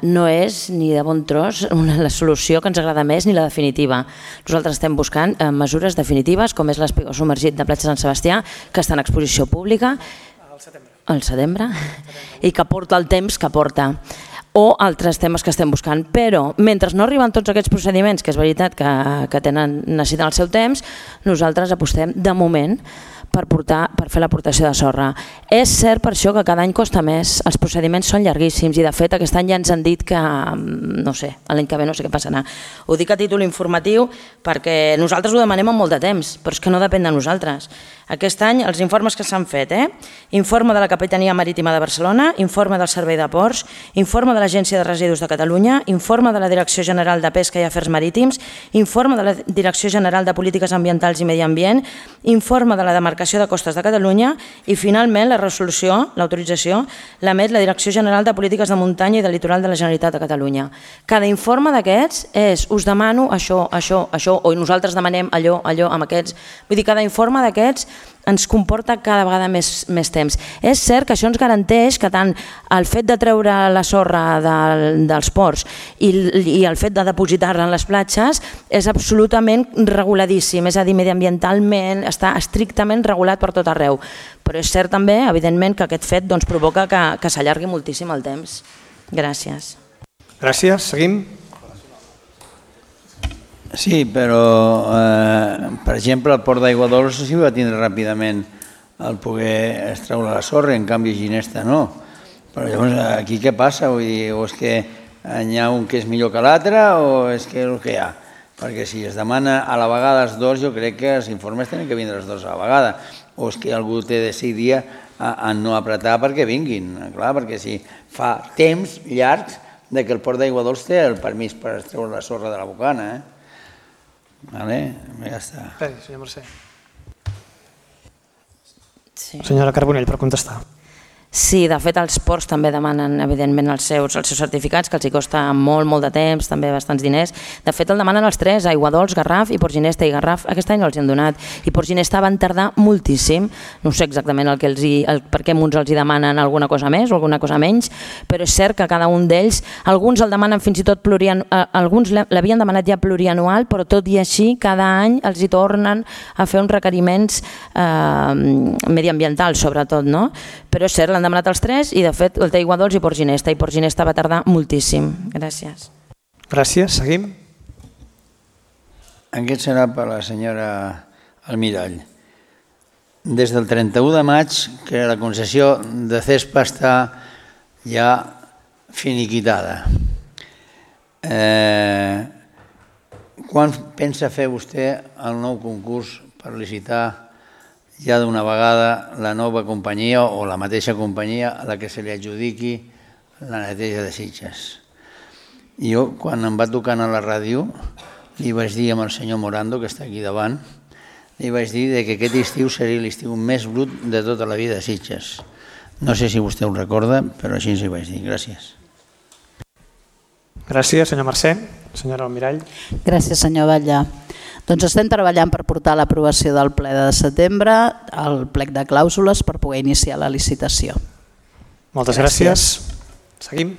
no és ni de bon tros la solució que ens agrada més ni la definitiva. Nosaltres estem buscant mesures definitives, com és l'espigó submergit de Platja Sant Sebastià, que està en exposició pública al setembre i que porta el temps que porta, o altres temes que estem buscant. Però mentre no arriben tots aquests procediments, que és veritat que necessiten el seu temps, nosaltres apostem de moment per fer l'aportació de sorra. És cert per això que cada any costa més, els procediments són llarguíssims, i de fet aquest any ja ens han dit que, no sé, l'any que ve no sé què passarà. Ho dic a títol informatiu perquè nosaltres ho demanem amb molt de temps, però és que no depèn de nosaltres. Aquest any els informes que s'han fet, informe de la Capitania Marítima de Barcelona, informe del Servei de Ports, informe de l'Agència de Residus de Catalunya, informe de la Direcció General de Pesca i Afers Marítims, informe de la Direcció General de Polítiques Ambientals i Medi Ambient, informe de la Demarcació de Costes de Catalunya i finalment la resolució, l'autorització, l'emet la Direcció General de Polítiques de Muntanya i del Litoral de la Generalitat de Catalunya. Cada informe d'aquests és, us demano això, o nosaltres demanem allò, amb aquests. Vull dir, cada informe d'aquests ens comporta cada vegada més temps. És cert que això ens garanteix que tant el fet de treure la sorra dels ports i el fet de depositar-la en les platges és absolutament reguladíssim, és a dir, mediambientalment està estrictament regulat per tot arreu. Però és cert també, evidentment, que aquest fet provoca que s'allargui moltíssim el temps. Gràcies. Gràcies. Seguim. Sí, però, per exemple, el port d'Aigua Dolça sí va tindre ràpidament el poder extreure la sorra, en canvi Ginesta no. Però llavors aquí què passa? Vull dir, o és que hi ha un que és millor que l'altre o és que és el que hi ha? Perquè si es demana a la vegada els dos, jo crec que els informes tenen que vindre els dos a la vegada. O és que algú té de decidir a no apretar perquè vinguin. Clar, perquè si fa temps llargs que el port d'Aigua Dolça té el permís per extreure la sorra de la bocana, Vale, ja està. Esperi, senyor Mercè. Senyora Carbonell, per contestar. Sí, de fet els ports també demanen evidentment els seus certificats, que els hi costa molt de temps, també bastants diners. De fet el demanen els tres, Aiguadols, Garraf i Port Ginesta, i Garraf aquest any no els hi han donat. I Port Ginesta van tardar moltíssim, no sé exactament per què uns els hi demanen alguna cosa més o alguna cosa menys, però és cert que cada un d'ells, alguns el demanen fins i tot alguns l'havien demanat ja plurianual, però tot i així cada any els hi tornen a fer uns requeriments mediambientals sobretot, no? Però és cert, l'han demanat els tres i de fet el té Aiguadols i Port Ginesta, i Port Ginesta va tardar moltíssim. Gràcies. Gràcies, seguim. Aquest serà per la senyora Almirall. Des del 31 de maig que la concessió de CESPA està ja finiquitada. Quan pensa fer vostè el nou concurs per licitar ja d'una vegada la nova companyia o la mateixa companyia a la que se li adjudiqui la neteja de Sitges? Jo, quan em va tocant a la ràdio, li vaig dir amb el senyor Morando, que està aquí davant, li vaig dir que aquest estiu seria l'estiu més brut de tota la vida de Sitges. No sé si vostè ho recorda, però així ens hi vaig dir. Gràcies. Gràcies, senyor Mercè. Senyora Almirall. Gràcies, senyor Batlle. Doncs estem treballant per portar a l'aprovació del ple de setembre el plec de clàusules per poder iniciar la licitació. Moltes gràcies. Seguim.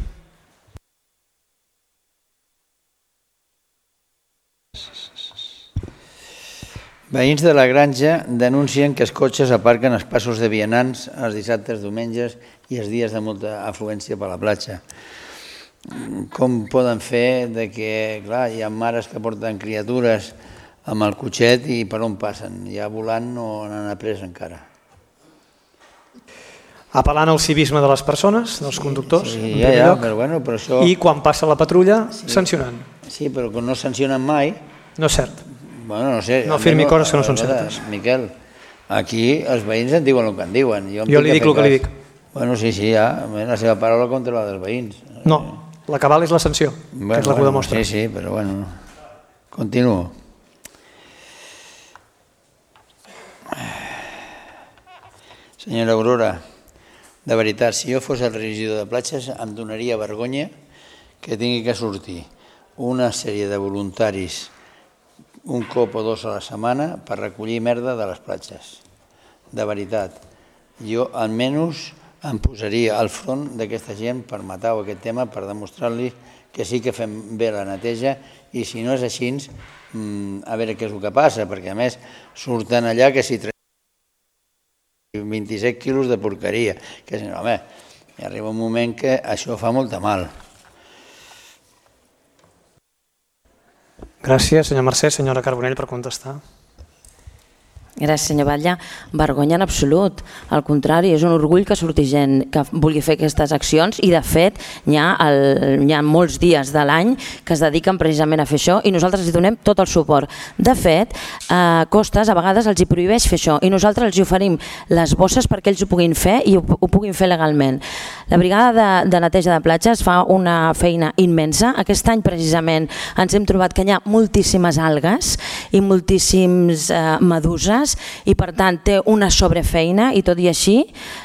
Veïns de la Granja denuncien que els cotxes aparquen als passos de vianants els dissabtes, diumenges i els dies de molta afluència per la platja. Com poden fer que, clar, hi ha mares que porten criatures amb el cotxet i per on passen? Ja volant no n'han après encara. Apel·lant al civisme de les persones, dels conductors, en primer lloc, però això... I quan passa la patrulla, sancionant. Sí, però que no sancionen mai... No és cert. Bueno, no sé... No afirmi coses que no són certes. Miquel, aquí els veïns en diuen el que en diuen. Jo li dic el que li dic. Bueno, sí, ja, la seva paraula contra la dels veïns. No, la cabal és la sanció, que és la que ho demostra. Sí, però bueno, continuo. Senyora Aurora, de veritat, si jo fos el regidor de platges em donaria vergonya que tingui que sortir una sèrie de voluntaris un cop o dos a la setmana per recollir merda de les platges. De veritat, jo almenys em posaria al front d'aquesta gent per matar aquest tema, per demostrar-li que sí que fem bé la neteja i si no és així, a veure què és el que passa, perquè a més surten allà que si 27 quilos de porqueria, que home, hi arriba un moment que això fa molta mal. Gràcies, senyor Mercè. Senyora Carbonell, per contestar. Gràcies, senyor Batlle. Vergonya en absolut. Al contrari, és un orgull que surti gent que vulgui fer aquestes accions i, de fet, hi ha molts dies de l'any que es dediquen precisament a fer això i nosaltres els donem tot el suport. De fet, Costes a vegades els hi prohibeix fer això i nosaltres els hi oferim les bosses perquè ells ho puguin fer i ho puguin fer legalment. La brigada de neteja de platges fa una feina immensa. Aquest any, precisament, ens hem trobat que hi ha moltíssimes algues i moltíssims meduses i per tant té una sobrefeina i tot i així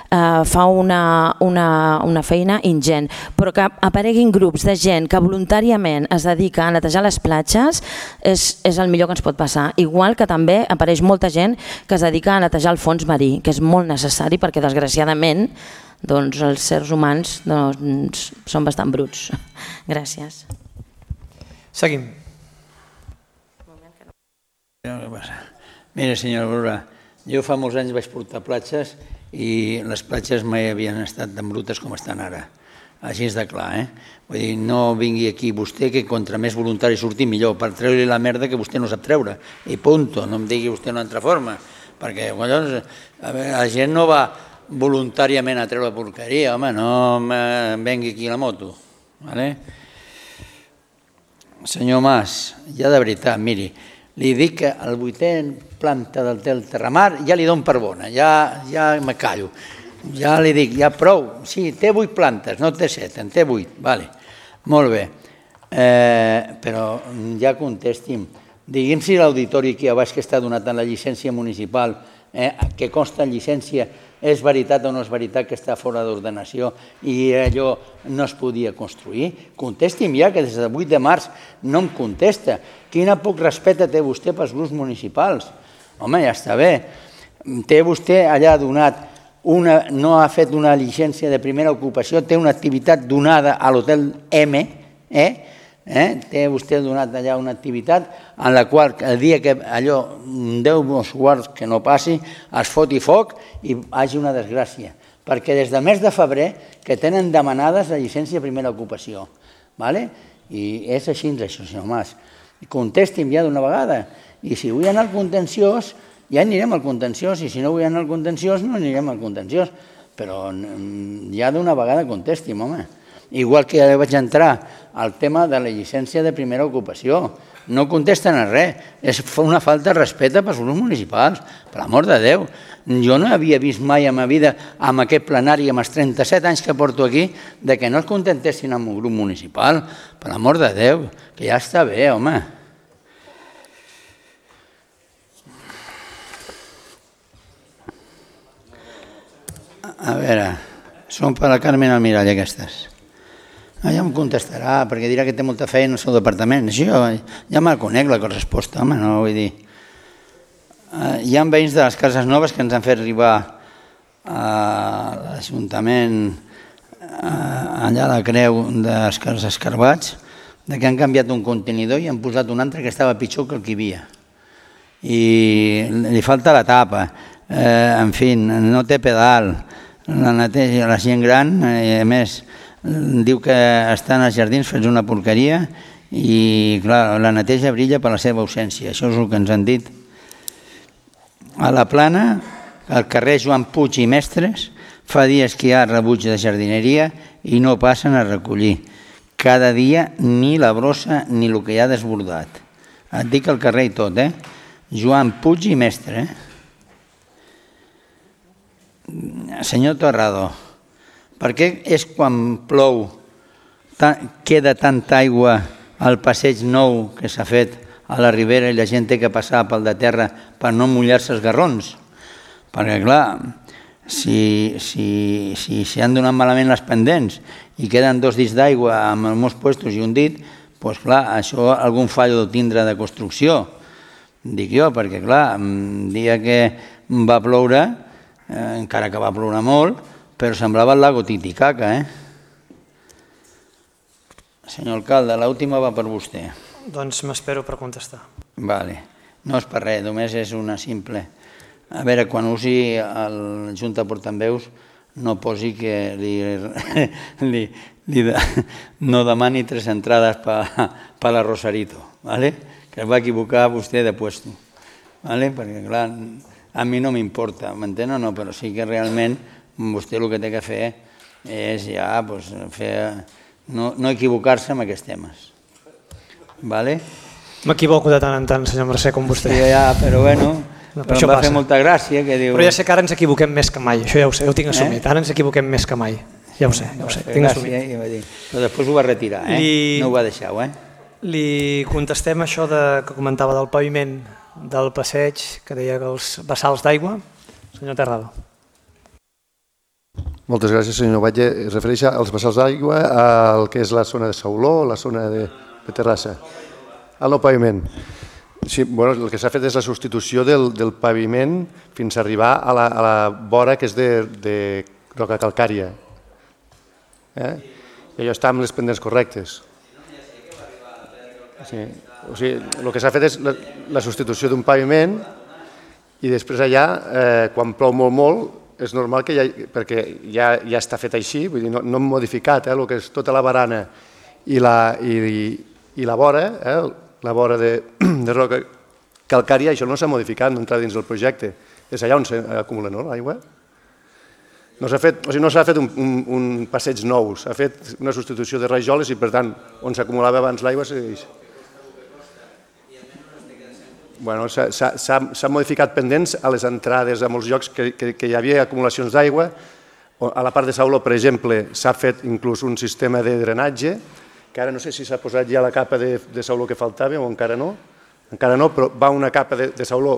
fa una feina ingent, però que apareguin grups de gent que voluntàriament es dedica a netejar les platges és el millor que ens pot passar, igual que també apareix molta gent que es dedica a netejar el fons marí, que és molt necessari perquè desgraciadament els sers humans són bastant bruts. Gràcies. Seguim. Mira, senyora Aurora, jo fa molts anys vaig portar platges i les platges mai havien estat tan brutes com estan ara. Així és de clar, Vull dir, no vingui aquí vostè, que contra més voluntari surti millor, per treure-li la merda que vostè no sap treure. I punto, no em digui vostè una altra forma, perquè la gent no va voluntàriament a treure porqueria, home, no em vengui aquí la moto. Senyor Mas, ja de veritat, miri, li dic que el 8è planta del Terramar ja li dono per bona, ja me callo. Ja li dic, ja prou, sí, té 8 plantes, no té 7, en té 8, vale, molt bé. Però ja contesti'm, digui'm si l'auditori aquí a baix que està donat en la llicència municipal, que consta en llicència és veritat o no és veritat que està fora d'ordenació i allò no es podia construir? Contesti'm ja, que des del 8 de març no em contesta. Quina poc respecte té vostè pels grups municipals? Home, ja està bé. Té vostè allà donat no ha fet una llicència de primera ocupació, té una activitat donada a l'hotel M, té vostè donat allà una activitat en la qual el dia que allò Déu mos guard que no passi, es foti foc i hagi una desgràcia. Perquè des del mes de febrer que tenen demanades la llicència de primera ocupació. I és així, això, senyor Mas. Contesti'm ja d'una vegada. I si vull anar al contenciós, ja anirem al contenciós, i si no vull anar al contenciós, no anirem al contenciós. Però ja d'una vegada contesti'm, home. Igual que ja vaig entrar al tema de la llicència de primera ocupació. No contesten a res. És una falta de respecte pels grups municipals, per l'amor de Déu. Jo no havia vist mai a ma vida, amb aquest plenari, amb els 37 anys que porto aquí, de que no es contentessin amb un grup municipal. Per l'amor de Déu, que ja està bé, home. A veure, són per la Carmen Almirall aquestes. Ja em contestarà, perquè dirà que té molta feina en el seu departament. Això ja me la conec, la resposta, home, no vull dir. Hi ha veïns de les cases noves que ens han fet arribar a l'Ajuntament, allà a la creu dels Cars Escarbats, que han canviat un contenidor i han posat un altre que estava pitjor que el que hi havia. I li falta la tapa, en fi, no té pedal, la neteja, la gent gran, a més, diu que estan als jardins fets una porqueria i, clar, la neteja brilla per la seva ausència. Això és el que ens han dit. A la Plana, al carrer Joan Puig i Mestres, fa dies que hi ha rebuig de jardineria i no passen a recollir. Cada dia ni la brossa ni el que hi ha desbordat. Et dic el carrer i tot, Joan Puig i Mestre, Senyor Torrado, per què és quan plou queda tanta aigua al passeig nou que s'ha fet a la ribera i la gent té que passar pel de terra per no mullar-se els garrons? Perquè, clar, si han donat malament les pendents i queden 2 dits d'aigua amb els meus puestos i un dit, doncs, clar, això algun fallo de tindre de construcció, dic jo, perquè, clar, el dia que va ploure, encara que va ploure molt, però semblava el lago Titicaca, Senyor alcalde, l'última va per vostè. Doncs m'espero per contestar. Vale. No és per res, només és una simple. A veure, quan usi el Junta de Portaveus, no posi que no demani 3 entrades per la Rosarito, que es va equivocar vostè de puesto. Perquè, clar, a mi no m'importa, m'entén o no? Però sí que realment vostè el que té que fer és ja no equivocar-se en aquests temes. M'equivoco de tant en tant, senyor Mercè, com vostè. Ja, però bueno, em va fer molta gràcia que diu... Però ja sé que ara ens equivoquem més que mai, això ja ho sé, ho tinc assumit. Ara ens equivoquem més que mai, ja ho sé, tinc assumit. Però després ho va retirar, no ho va deixar, Li contestem això que comentava del paviment del passeig, que deia que els bassals d'aigua. Senyor Terrado. Moltes gràcies, senyor Batlle. Es refereix als bassals d'aigua al que és la zona de Sauló, la zona de Terrassa. Al nou paviment. Sí, el que s'ha fet és la substitució del paviment fins a arribar a la vora que és de roca calcària. I allò està amb les pendents correctes. El que s'ha fet és la substitució d'un paviment i després allà, quan plou molt, és normal que perquè ja està fet així, vull dir, no hem modificat el que és tota la barana i la vora de roca calcària, això no s'ha modificat, no entra dins del projecte. És allà on s'acumula l'aigua. No s'ha fet un passeig nou, s'ha fet una substitució de rajoles i, per tant, on s'acumulava abans l'aigua segueix. S'han modificat pendents a les entrades a molts llocs que hi havia acumulacions d'aigua. A la part de Sauló, per exemple, s'ha fet inclús un sistema de drenatge, que ara no sé si s'ha posat ja la capa de Sauló que faltava o encara no, però va una capa de Sauló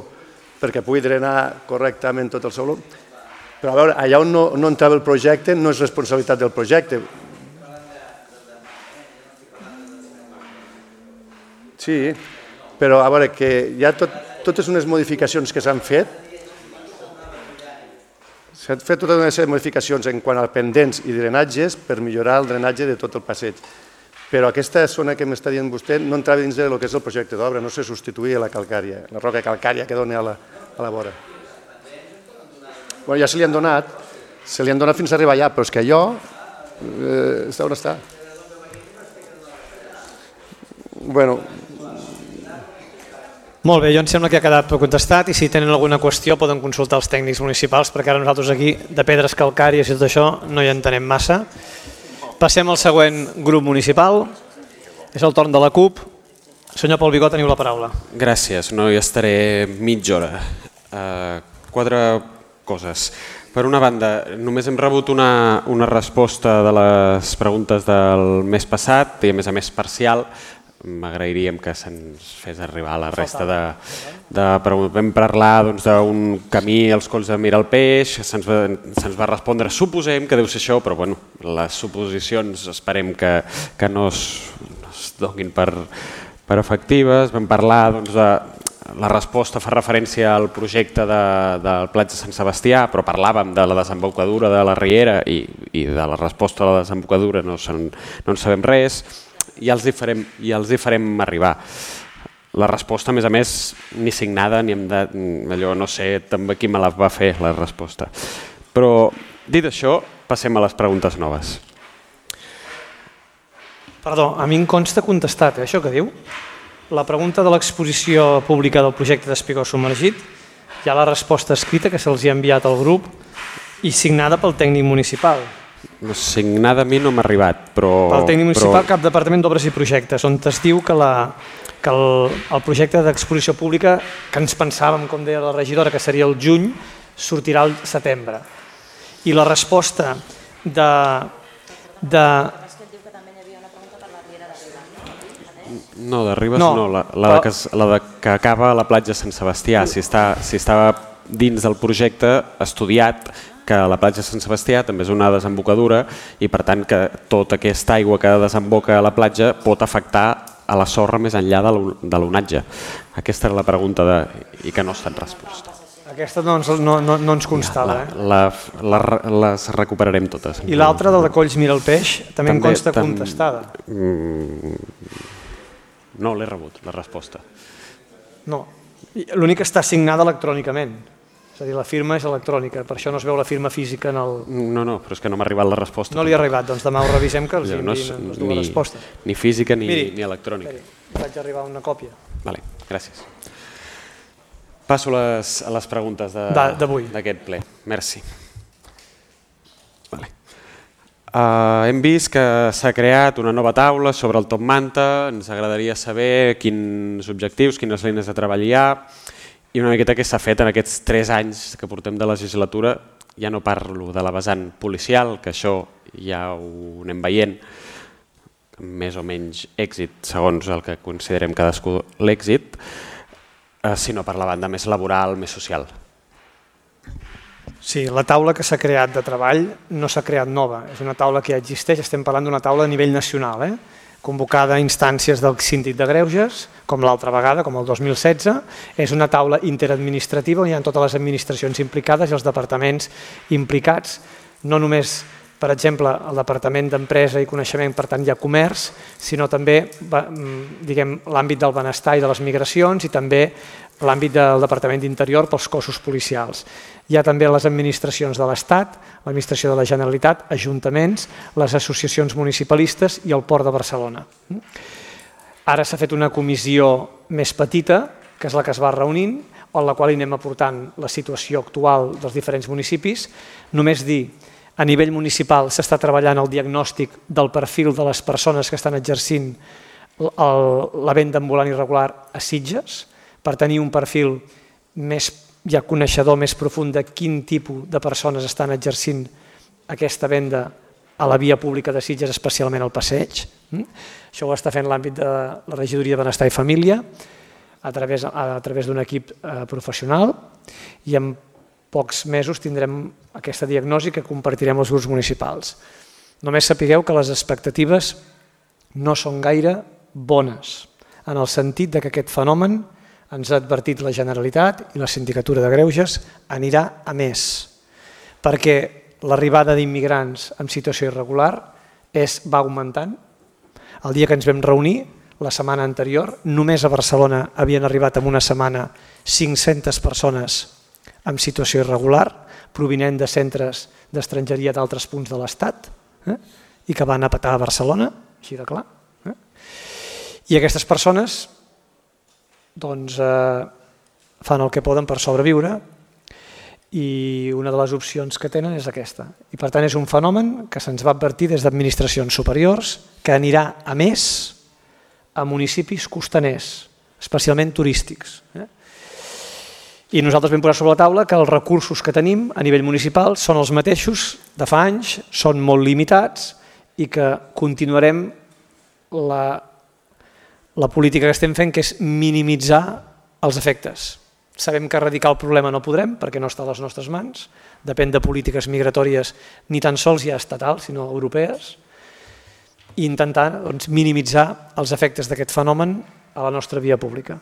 perquè pugui drenar correctament tot el Sauló. Però a veure, allà on no entrava el projecte no és responsabilitat del projecte. Sí, però a veure, que hi ha totes unes modificacions que s'han fet. S'han fet totes unes modificacions en quant a pendents i drenatges per millorar el drenatge de tot el passeig. Però aquesta zona que m'està dient vostè no entrava dins del que és el projecte d'obra, no se substituïa la calcària, la roca calcària que dona a la vora. Bueno, ja se li han donat fins a arribar allà, però és que allò està on està. Bueno. Molt bé, jo em sembla que ha quedat contestat i si tenen alguna qüestió poden consultar els tècnics municipals perquè ara nosaltres aquí de pedres calcàries i tot això no hi entenem massa. Passem al següent grup municipal, és el torn de la CUP. Senyor Pol Vigó, teniu la paraula. Gràcies, no hi estaré mitja hora. 4 coses. Per una banda, només hem rebut una resposta de les preguntes del mes passat i a més parcial. M'agrairíem que se'ns fes arribar la resta de preguntes. Vam parlar d'un camí als Colls de Miralpeix, se'ns va respondre, suposem que deu ser això, però bueno, les suposicions esperem que no es donin per efectives. Vam parlar de... La resposta fa referència al projecte del Platja Sant Sebastià, però parlàvem de la desembocadura de la Riera i de la resposta a la desembocadura no en sabem res. I els hi farem arribar. La resposta, a més, ni signada, ni allò, no sé també qui me la va fer, la resposta. Però, dit això, passem a les preguntes noves. Perdó, a mi em consta contestat, això que diu. La pregunta de l'exposició pública del projecte d'Espigó submergit, hi ha la resposta escrita que se'ls ha enviat al grup i signada pel tècnic municipal. Signada a mi no m'ha arribat, però... Pel tècnic municipal, cap departament d'obres i projectes, on es diu que el projecte d'exposició pública, que ens pensàvem, com deia la regidora, que seria el juny, sortirà al setembre. I la resposta de... No, de Ribes no, la que acaba a la platja Sant Sebastià. Si estava dins del projecte estudiat que la platja Sant Sebastià també és una desembocadura i per tant que tota aquesta aigua que desemboca a la platja pot afectar a la sorra més enllà de l'onatge. Aquesta era la pregunta i que no ha estat resposta. Aquesta no ens constava. Les recuperarem totes. I l'altra, del de Colls Miralpeix, també em consta contestada. No l'he rebut, la resposta. No, l'únic que està signada electrònicament. És a dir, la firma és electrònica, per això no es veu la firma física en el... No, però és que no m'ha arribat la resposta. No li ha arribat, doncs demà ho revisem que els enviïn les dues respostes. Ni física ni electrònica. Vaig arribar a una còpia. Vale, gràcies. Passo a les preguntes d'aquest ple. Merci. Hem vist que s'ha creat una nova taula sobre el Top Manta, ens agradaria saber quins objectius, quines línies de treball hi ha i una miqueta què s'ha fet en aquests 3 anys que portem de legislatura. Ja no parlo de la vessant policial, que això ja ho anem veient, més o menys èxit, segons el que considerem cadascú l'èxit, sinó per la banda més laboral, més social. Sí, la taula que s'ha creat de treball no s'ha creat nova, és una taula que ja existeix, estem parlant d'una taula a nivell nacional, convocada a instàncies del Síndic de Greuges, com l'altra vegada, com el 2016, és una taula interadministrativa on hi ha totes les administracions implicades i els departaments implicats, no només, per exemple, el Departament d'Empresa i Coneixement, per tant hi ha comerç, sinó també l'àmbit del benestar i de les migracions i també l'àmbit del Departament d'Interior pels cossos policials. Hi ha també les administracions de l'Estat, l'administració de la Generalitat, ajuntaments, les associacions municipalistes i el Port de Barcelona. Ara s'ha fet una comissió més petita, que és la que es va reunint, en la qual anem aportant la situació actual dels diferents municipis. Només dir, a nivell municipal s'està treballant el diagnòstic del perfil de les persones que estan exercint la venda ambulant irregular a Sitges, per tenir un perfil més ja coneixedor, més profund de quin tipus de persones estan exercint aquesta venda a la via pública de Sitges, especialment al passeig. Això ho està fent l'àmbit de la Regidoria de Benestar i Família a través d'un equip professional i pocs mesos tindrem aquesta diagnosi que compartirem els grups municipals. Només sapigueu que les expectatives no són gaire bones, en el sentit que aquest fenomen, ens ha advertit la Generalitat i la Sindicatura de Greuges, anirà a més, perquè l'arribada d'immigrants en situació irregular va augmentant. El dia que ens vam reunir, la setmana anterior, només a Barcelona havien arribat en una setmana 500 persones en situació irregular, provinent de centres d'estrangeria d'altres punts de l'Estat, i que van a petar a Barcelona, així de clar. I aquestes persones fan el que poden per sobreviure i una de les opcions que tenen és aquesta. I per tant és un fenomen que se'ns va advertir des d'administracions superiors que anirà a més a municipis costaners, especialment turístics. I nosaltres vam posar sobre la taula que els recursos que tenim a nivell municipal són els mateixos de fa anys, són molt limitats i que continuarem la política que estem fent, que és minimitzar els efectes. Sabem que erradicar el problema no podrem perquè no està a les nostres mans, depèn de polítiques migratòries ni tan sols ja estatals, sinó europees, i intentar minimitzar els efectes d'aquest fenomen a la nostra via pública.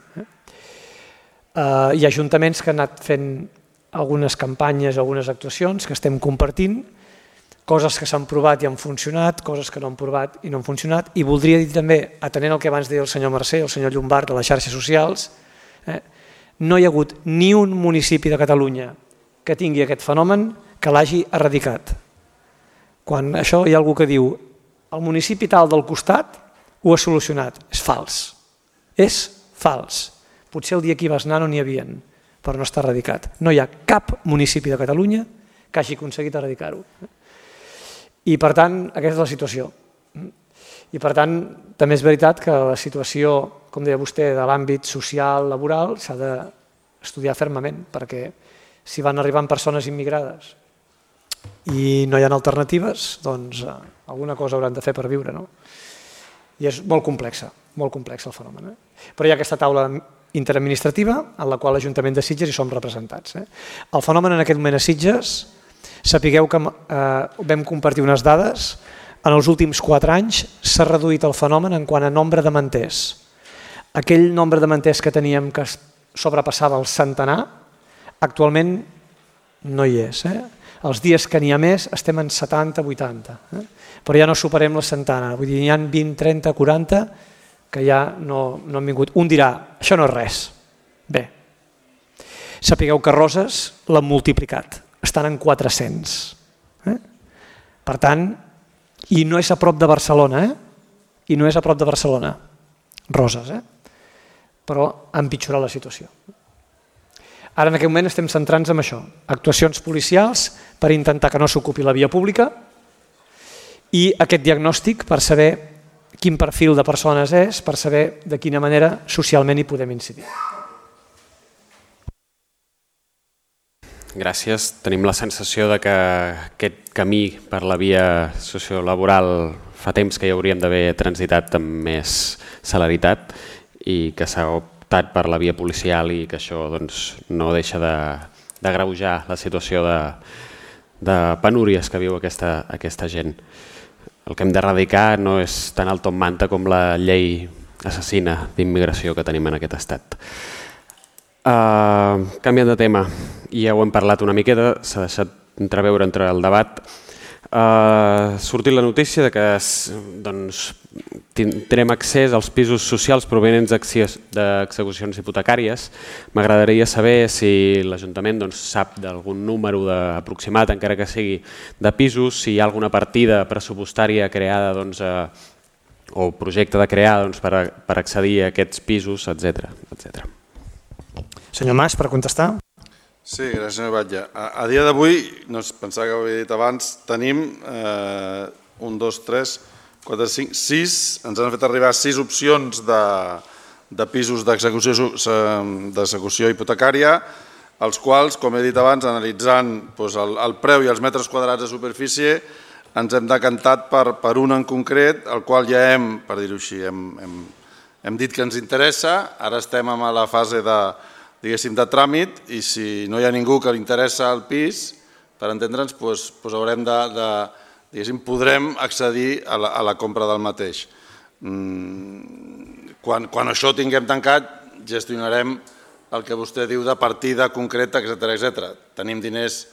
Hi ha ajuntaments que han anat fent algunes campanyes, algunes actuacions que estem compartint, coses que s'han provat i han funcionat, coses que no han provat i no han funcionat, i voldria dir també, atenent al que abans deia el senyor Mercè, el senyor Llombart, de les xarxes socials, no hi ha hagut ni un municipi de Catalunya que tingui aquest fenomen que l'hagi erradicat. Quan això hi ha algú que diu el municipi tal del costat ho ha solucionat, és fals. És fals. Potser el dia que hi vas anar no n'hi havia, però no està erradicat. No hi ha cap municipi de Catalunya que hagi aconseguit erradicar-ho. I per tant, aquesta és la situació. I per tant, també és veritat que la situació, com deia vostè, de l'àmbit social, laboral, s'ha d'estudiar fermament, perquè si van arribant persones immigrades i no hi ha alternatives, doncs alguna cosa hauran de fer per viure. I és molt complex el fenomen. Però hi ha aquesta taula interadministrativa en la qual l'Ajuntament de Sitges hi som representats. El fenomen en aquest moment a Sitges, sapigueu que vam compartir unes dades, en els últims 4 anys s'ha reduït el fenomen en quant a nombre de manters. Aquell nombre de manters que teníem que sobrepassava el centenar, actualment no hi és. Els dies que n'hi ha més estem en 70-80, però ja no superem la centena. Vull dir, n'hi ha 20, 30, 40 que ja no han vingut. Un dirà, això no és res. Bé, sapigueu que Roses l'han multiplicat, estan en 400. Per tant, i no és a prop de Barcelona, i no és a prop de Barcelona, Roses, però ha empitjorat la situació. Ara en aquest moment estem centrant-nos en això, actuacions policials per intentar que no s'ocupi la via pública i aquest diagnòstic per saber quin perfil de persones és, per saber de quina manera socialment hi podem incidir. Gràcies. Tenim la sensació de que aquest camí per la via sociolaboral fa temps que hi hauríem d'haver transitat amb més celeritat i que s'ha optat per la via policial i que això no deixa d'agreujar la situació de penúries que viu aquesta gent. El que hem d'erradicar no és tan alto en manta com la llei assassina d'immigració que tenim en aquest estat. Canviant de tema, ja ho hem parlat una miqueta, s'ha deixat entreveure entre el debat. Ha sortit la notícia que tindrem accés als pisos socials provenents d'execucions hipotecàries. M'agradaria saber si l'Ajuntament sap d'algun número aproximat, encara que sigui de pisos, si hi ha alguna partida pressupostària creada o projecte de crear per accedir a aquests pisos, etc. Senyor Mas, per contestar. Sí, gràcies, senyor Batlle. A dia d'avui, no es pensava que ho havia dit abans, tenim 1, 2, 3, 4, 5, 6, ens han fet arribar 6 opcions de pisos d'execució hipotecària, els quals, com he dit abans, analitzant el preu i els metres quadrats de superfície, ens hem decantat per un en concret, el qual ja hem, per dir-ho així, hem dit que ens interessa, ara estem en la fase diguéssim, de tràmit, i si no hi ha ningú que li interessa el pis, per entendre'ns, haurem de, diguéssim, podrem accedir a la compra del mateix. Quan això ho tinguem tancat, gestionarem el que vostè diu de partida concreta, etc. Tenim diners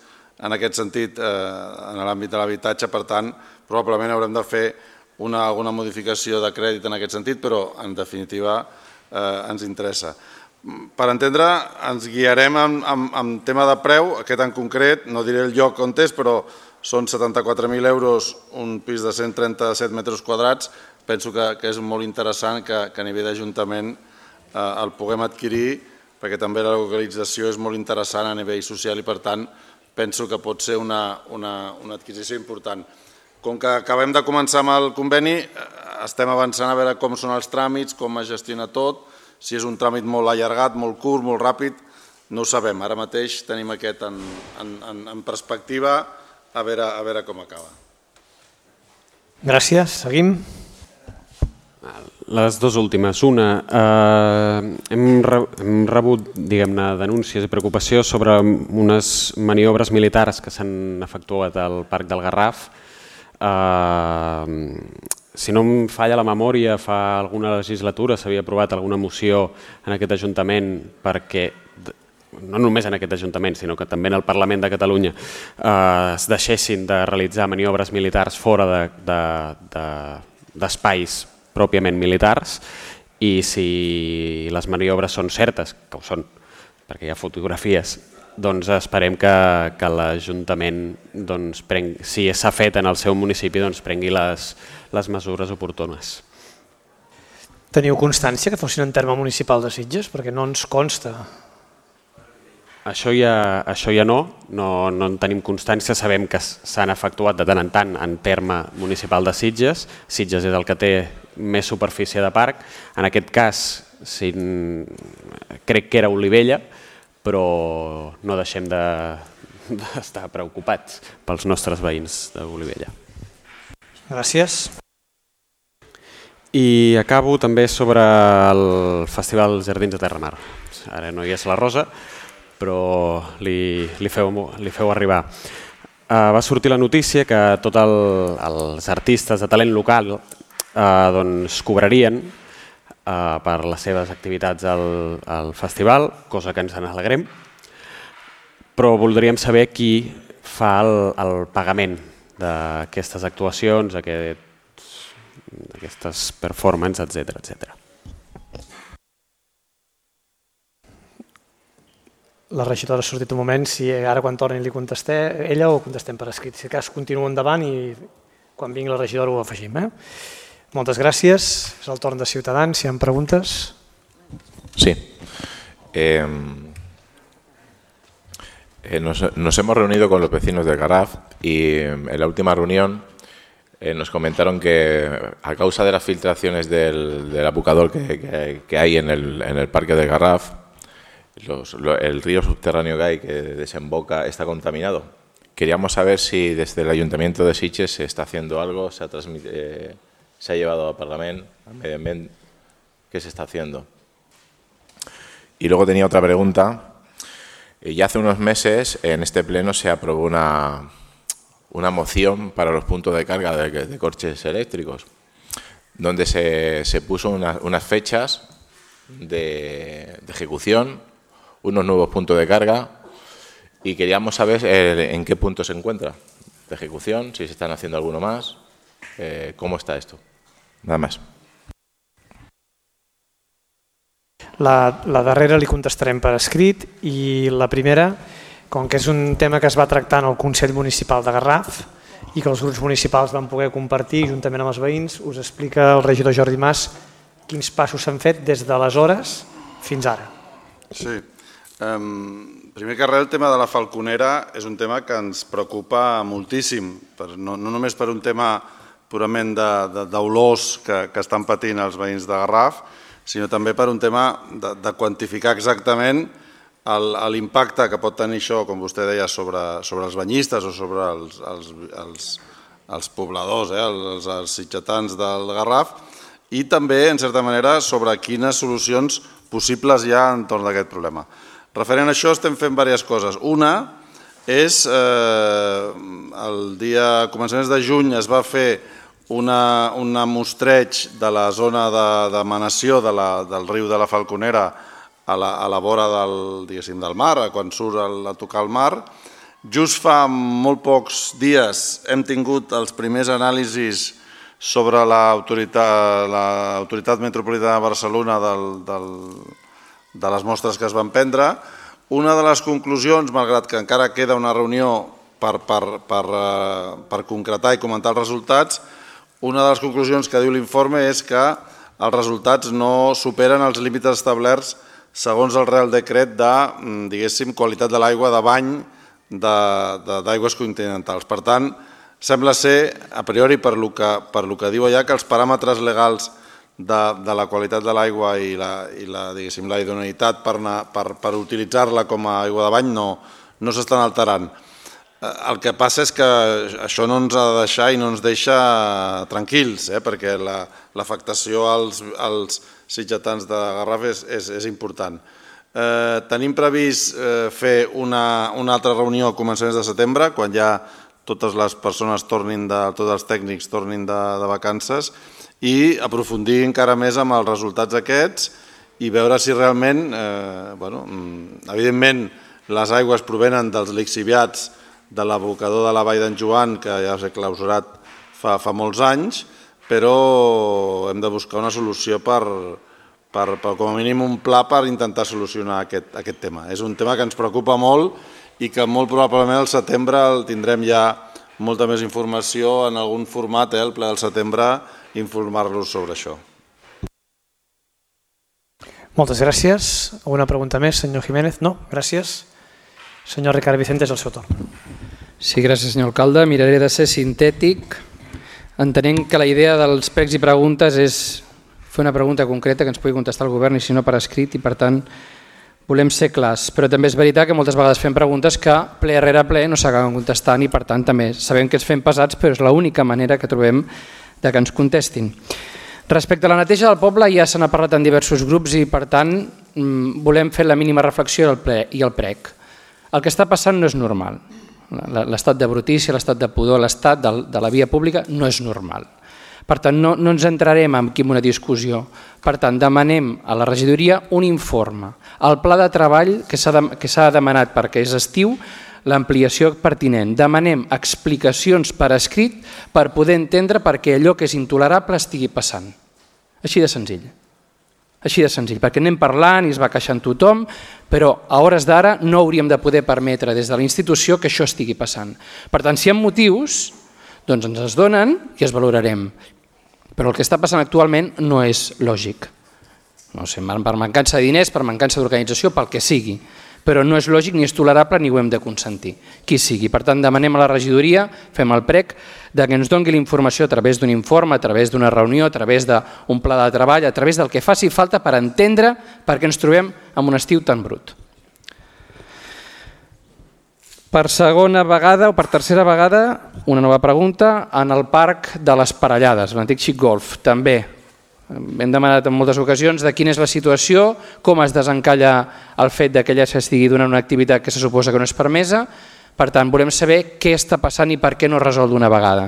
en aquest sentit en l'àmbit de l'habitatge, per tant, probablement haurem de fer alguna modificació de crèdit en aquest sentit, però en definitiva ens interessa. Per entendre, ens guiarem en tema de preu, aquest en concret, no diré el lloc on és, però són 74.000 euros un pis de 137 metres quadrats. Penso que és molt interessant que a nivell d'Ajuntament el puguem adquirir, perquè també la localització és molt interessant a nivell social i, per tant, penso que pot ser una adquisició important. Com que acabem de començar amb el conveni, estem avançant a veure com són els tràmits, com es gestiona tot, si és un tràmit molt allargat, molt curt, molt ràpid, no ho sabem. Ara mateix tenim aquest en perspectiva, a veure com acaba. Gràcies. Seguim. Les dues últimes. Una, hem rebut, diguem-ne, denúncies i preocupació sobre unes maniobres militars que s'han efectuat al Parc del Garraf. Si no em falla la memòria, fa alguna legislatura s'havia aprovat alguna moció en aquest Ajuntament perquè, no només en aquest Ajuntament, sinó que també en el Parlament de Catalunya, es deixessin de realitzar maniobres militars fora d'espais pròpiament militars, i si les maniobres són certes, que ho són, perquè hi ha fotografies, doncs esperem que l'Ajuntament, si s'ha fet en el seu municipi, prengui les mesures oportunes. Teniu constància que fossin en terme municipal de Sitges? Perquè no ens consta. Això ja no en tenim constància, sabem que s'han efectuat de tant en terme municipal de Sitges. Sitges és el que té més superfície de parc. En aquest cas crec que era Olivella, però no deixem d'estar preocupats pels nostres veïns d'Olivella. Gràcies. I acabo també sobre el Festival Jardins de Terramar. Ara no hi és la Rosa, però li feu arribar. Va sortir la notícia que tots els artistes de talent local cobrarien per les seves activitats al festival, cosa que ens n'alegrem, però voldríem saber qui fa el pagament d'aquestes actuacions, aquestes performances, etc. La regidora ha sortit un moment, si ara quan torni li contestem ella o contestem per escrit. Si cas continua endavant i quan vingui la regidora ho afegim. Moltes gràcies. És el torn de Ciutadans. Si hi ha preguntes. Sí. Nos hemos reunido con los vecinos del Garraf y en la última reunión nos comentaron que a causa de las filtraciones del apucador que hay en el parque del Garraf, el río subterráneo que hay, que desemboca, está contaminado. Queríamos saber si desde el Ayuntamiento de Sitges se está haciendo algo, se ha llevado al Parlamento, al Medio Ambiente, ¿qué se está haciendo? Y luego tenía otra pregunta. Ya hace unos meses en este pleno se aprobó una moción para los puntos de carga de coches eléctricos, donde se puso unas fechas de ejecución, unos nuevos puntos de carga, y queríamos saber en qué punto se encuentra de ejecución, si se están haciendo alguno más, cómo está esto. Nada más. La darrera li contestarem per escrit i la primera, com que és un tema que es va tractar en el Consell Municipal de Garraf i que els grups municipals van poder compartir juntament amb els veïns, us explica el regidor Jordi Mas quins passos s'han fet des d'aleshores fins ara. Sí. Primer que res, el tema de la falconera és un tema que ens preocupa moltíssim, no només per un tema purament d'olors que estan patint els veïns de Garraf, sinó també per un tema de quantificar exactament l'impacte que pot tenir això, com vostè deia, sobre els banyistes o sobre els pobladors, els sitgetans del Garraf, i també, en certa manera, sobre quines solucions possibles hi ha entorn d'aquest problema. Referent a això estem fent diverses coses. Una és, el dia començaments de juny es va fer un mostreig de la zona d'emanació del riu de la Falconera a la vora del mar, quan surt a tocar el mar. Just fa molt pocs dies hem tingut els primers anàlisis sobre l'Autoritat Metropolitana de Barcelona de les mostres que es van prendre. Una de les conclusions, malgrat que encara queda una reunió per concretar i comentar els resultats, una de les conclusions que diu l'informe és que els resultats no superen els límits establerts segons el Real Decret de, diguéssim, qualitat de l'aigua de bany d'aigües continentals. Per tant, sembla ser, a priori, per lo que diu allà, que els paràmetres legals de la qualitat de l'aigua i la idoneïtat per utilitzar-la com a aigua de bany no s'estan alterant. El que passa és que això no ens ha de deixar i no ens deixa tranquils, perquè l'afectació als sitgetans de Garraf és important. Tenim previst fer una altra reunió a començaments de setembre, quan ja totes les persones tots els tècnics tornin de vacances, i aprofundir encara més amb els resultats aquests i veure si realment, evidentment, les aigües provenen dels lixiviats de l'abocador de la Vall d'en Joan, que ja s'ha clausurat fa molts anys, però hem de buscar una solució com a mínim un pla per intentar solucionar aquest tema. És un tema que ens preocupa molt i que molt probablement al setembre tindrem ja molta més informació en algun format, el ple del setembre, informar-los sobre això. Moltes gràcies. Alguna pregunta més, senyor Jiménez? No? Gràcies. Senyor Ricard Vicente, és el seu torn. Sí, gràcies, senyor alcalde. Miraré de ser sintètic. Entenent que la idea dels pregs i preguntes és fer una pregunta concreta que ens pugui contestar el govern i si no per escrit, i per tant volem ser clars. Però també és veritat que moltes vegades fem preguntes que ple rere ple no s'acaben contestant i per tant també sabem que ens fem pesats, però és l'única manera que trobem de que ens contestin. Respecte a la neteja del poble ja se n'ha parlat en diversos grups i per tant volem fer la mínima reflexió del ple i el prec. El que està passant no és normal. L'estat de brutícia, l'estat de pudor, l'estat de la via pública no és normal. Per tant, no ens entrarem aquí en una discussió. Per tant, demanem a la regidoria un informe. El pla de treball que s'ha demanat perquè és estiu, l'ampliació pertinent. Demanem explicacions per escrit per poder entendre perquè allò que és intolerable estigui passant. Així de senzill. Així de senzill, perquè anem parlant i es va queixant tothom, però a hores d'ara no hauríem de poder permetre des de la institució que això estigui passant. Per tant, si hi ha motius, doncs ens es donen i es valorarem. Però el que està passant actualment no és lògic. No sé, per mancança de diners, per mancança d'organització, pel que sigui. Però no és lògic ni és tolerable ni ho hem de consentir. Qui sigui. Per tant, demanem a la regidoria, fem el prec, que ens doni la informació a través d'un informe, a través d'una reunió, a través d'un pla de treball, a través del que faci falta per entendre per què ens trobem en un estiu tan brut. Per segona vegada o per tercera vegada, una nova pregunta, en el parc de les Parellades, l'antic Xic Golf, també. Hem demanat en moltes ocasions de quina és la situació, com es desencalla el fet que allà s'estigui donant una activitat que se suposa que no és permesa. Per tant, volem saber què està passant i per què no es resol d'una vegada.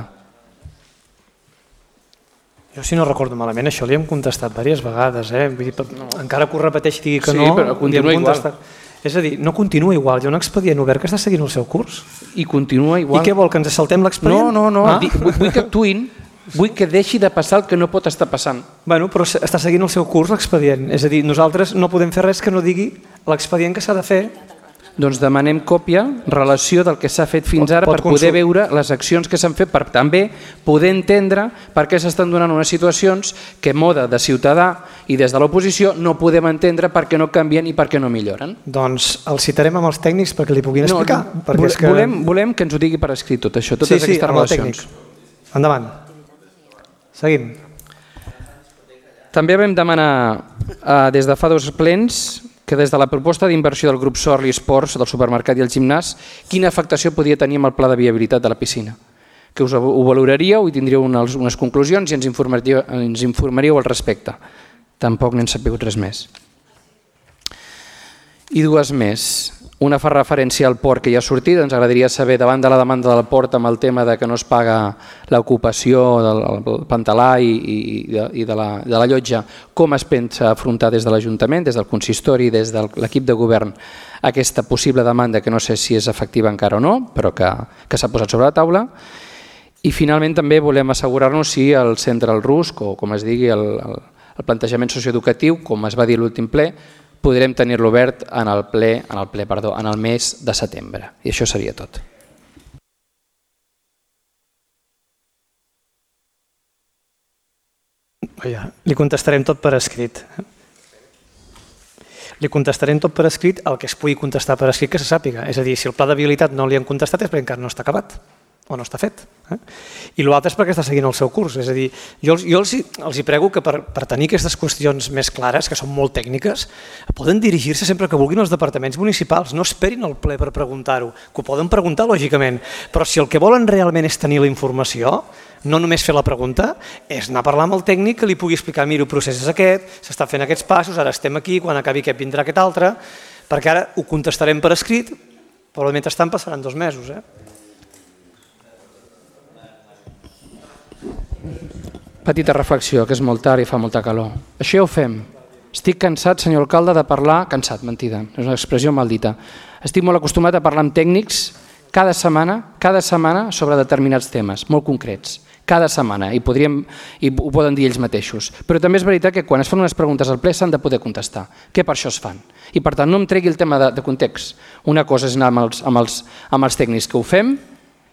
Jo, si no recordo malament, això li hem contestat diverses vegades. Vull dir, encara que ho repeteixi i digui que no, sí, però continua igual. És a dir, no continua igual, hi ha un expedient obert que està seguint el seu curs. I continua igual. I què vol, que ens saltem l'expedient? No, vull que actuïn. Vull que deixi de passar el que no pot estar passant. Bueno, però està seguint el seu curs l'expedient. És a dir, nosaltres no podem fer res que no digui l'expedient que s'ha de fer. Doncs demanem còpia, relació del que s'ha fet fins ara per poder veure les accions que s'han fet, per també poder entendre per què s'estan donant unes situacions que moda de ciutadà i des de l'oposició no podem entendre per què no canvien i per què no milloren. Doncs el citarem amb els tècnics perquè li puguin explicar. Volem que ens ho digui per escrit tot això, totes aquestes relacions. Endavant. Seguim. També vam demanar des de fa 2 plens que des de la proposta d'inversió del grup Sorli Esports, del supermercat i el gimnàs, quina afectació podia tenir amb el pla de viabilitat de la piscina. Que us ho valoraríeu i tindríeu unes conclusions i ens informaríeu al respecte. Tampoc n'hem sabut res més. I dues més. Una fa referència al port que ja ha sortit. Ens agradaria saber, davant de la demanda del port amb el tema de que no es paga l'ocupació del pantalà i de la llotja, com es pensa afrontar des de l'Ajuntament, des del consistori, des de l'equip de govern, aquesta possible demanda que no sé si és efectiva encara o no, però que s'ha posat sobre la taula. I finalment també volem assegurar-nos si el centre al RUSC, o com es digui el plantejament socioeducatiu, com es va dir a l'últim ple, podrem tenir-lo obert en el mes de setembre. I això seria tot. Li contestarem tot per escrit. Li contestarem tot per escrit el que es pugui contestar per escrit que se sàpiga. És a dir, si el pla de viabilitat no li han contestat és perquè encara no està acabat o no està fet. I l'altre és perquè està seguint el seu curs. És a dir, jo els prego que per tenir aquestes qüestions més clares, que són molt tècniques, poden dirigir-se sempre que vulguin als departaments municipals. No esperin el ple per preguntar-ho, que ho poden preguntar lògicament, però si el que volen realment és tenir la informació, no només fer la pregunta, és anar a parlar amb el tècnic que li pugui explicar, mira, el procés és aquest, s'està fent aquests passos, ara estem aquí, quan acabi aquest vindrà aquest altre, perquè ara ho contestarem per escrit, però mentrestant passaran 2 mesos. Petita reflexió, que és molt tard i fa molta calor. Això ja ho fem. Estic cansat, senyor alcalde, de parlar... Cansat, mentida, és una expressió maldita. Estic molt acostumat a parlar amb tècnics cada setmana sobre determinats temes, molt concrets. Cada setmana, i ho poden dir ells mateixos. Però també és veritat que quan es fan unes preguntes al ple s'han de poder contestar, que per això es fan. I per tant no em tregui el tema de context. Una cosa és anar amb els tècnics que ho fem,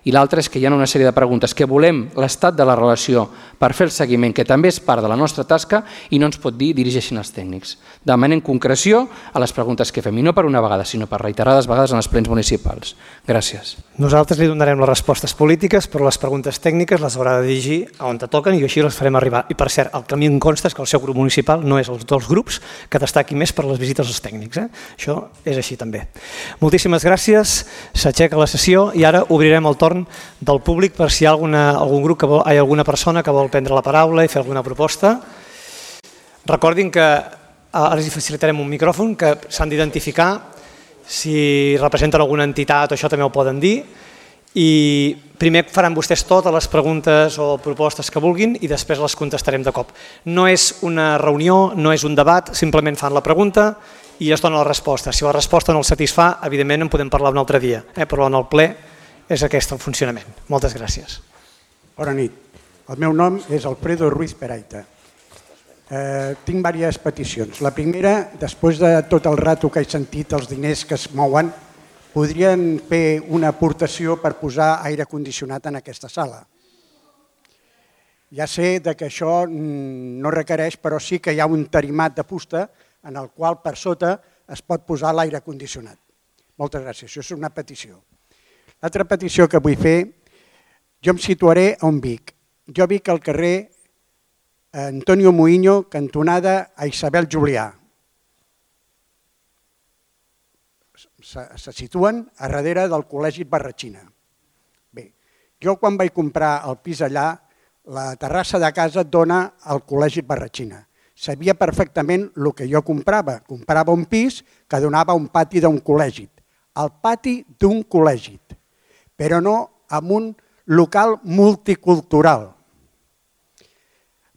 i l'altra és que hi ha una sèrie de preguntes que volem l'estat de la relació per fer el seguiment, que també és part de la nostra tasca, i no ens pot dir dirigeixin els tècnics. Demanem concreció a les preguntes que fem, i no per una vegada, sinó per reiterades vegades en els plens municipals. Gràcies. Nosaltres li donarem les respostes polítiques, però les preguntes tècniques les haurà de dirigir on te toquen i així les farem arribar. I per cert, el que a mi em consta és que el seu grup municipal no és els dels grups que destaqui més per les visites als tècnics. Això és així també. Moltíssimes gràcies, s'aixeca la sessió i ara obrirem el torn del públic per si hi ha alguna persona que vol prendre la paraula i fer alguna proposta. Recordin que ara els facilitarem un micròfon que s'han d'identificar, si representen alguna entitat o això també ho poden dir, i primer faran vostès totes les preguntes o propostes que vulguin i després les contestarem de cop. No és una reunió, no és un debat, simplement fan la pregunta i es dona la resposta. Si la resposta no els satisfà, evidentment en podem parlar un altre dia, però en el ple és aquest el funcionament. Moltes gràcies. Bona nit. El meu nom és Alfredo Ruiz Peraita. Tinc diverses peticions. La primera, després de tot el rato que he sentit els diners que es mouen, podrien fer una aportació per posar aire condicionat en aquesta sala. Ja sé que això no requereix, però sí que hi ha un tarimat de fusta en el qual per sota es pot posar l'aire condicionat. Moltes gràcies. Això és una petició. L'altra petició que vull fer, jo em situaré on vic. Jo vic al carrer Antonio Muiño, cantonada a Isabel Julià. Se situen a darrere del Col·legi Barratxina. Bé, jo quan vaig comprar el pis allà, la terrassa de casa dona al Col·legi Barratxina. Sabia perfectament el que jo comprava. Comprava un pis que donava un pati d'un col·legi. El pati d'un col·legi, però no amb un local multicultural.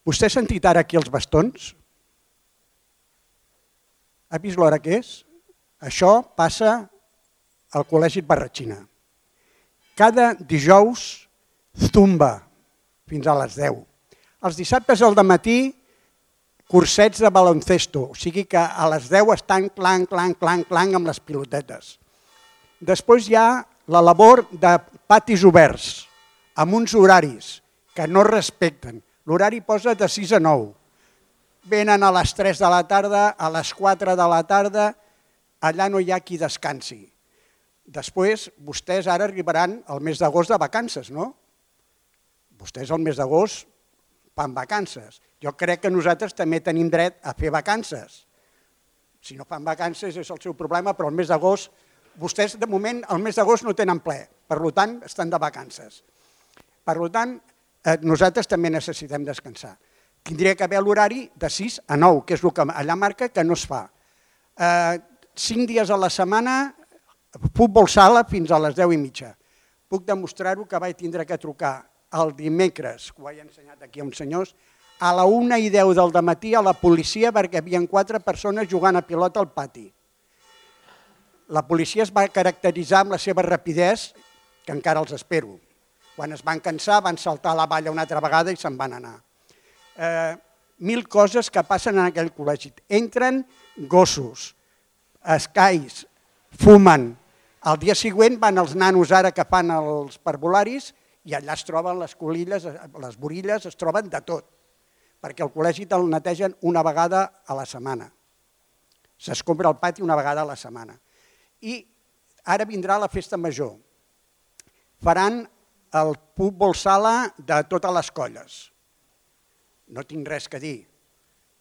Vostè ha sentit ara aquí els bastons? Ha vist l'hora que és? Això passa al Col·legi Barratxina. Cada dijous zumba fins a les 10. Els dissabtes al dematí cursets de baloncesto, o sigui que a les 10 estan clanc, clanc, clanc, clanc amb les pilotetes. Després hi ha la labor de patis oberts, amb uns horaris que no respecten. L'horari posa de 6 a 9. Venen a les 3 de la tarda, a les 4 de la tarda, allà no hi ha qui descansi. Després, vostès ara arribaran al mes d'agost de vacances, no? Vostès al mes d'agost fan vacances. Jo crec que nosaltres també tenim dret a fer vacances. Si no fan vacances és el seu problema, però al mes d'agost, vostès de moment al mes d'agost no tenen ple, per tant estan de vacances. Per tant, nosaltres també necessitem descansar. Tindria que haver l'horari de 6 a 9, que és el que allà marca que no es fa. 5 dies a la setmana, futbol sala fins a les 10:30. Puc demostrar-ho que vaig tindre que trucar el dimecres, que ho he ensenyat aquí a uns senyors, a la 1:10 del matí a la policia perquè hi havia 4 persones jugant a pilota al pati. La policia es va caracteritzar amb la seva rapidesa, que encara els espero. Quan es van cansar van saltar a la valla una altra vegada i se'n van anar. 1000 coses que passen en aquell col·legi. Entren gossos, escais, fumen. El dia següent van els nanos ara que fan els parvularis i allà es troben les colilles, les borilles, es troben de tot, perquè el col·legi te'l netegen una vegada a la setmana. S'escombra el pati una vegada a la setmana. I ara vindrà la festa major. Faran el futbol sala de totes les colles. No tinc res a dir,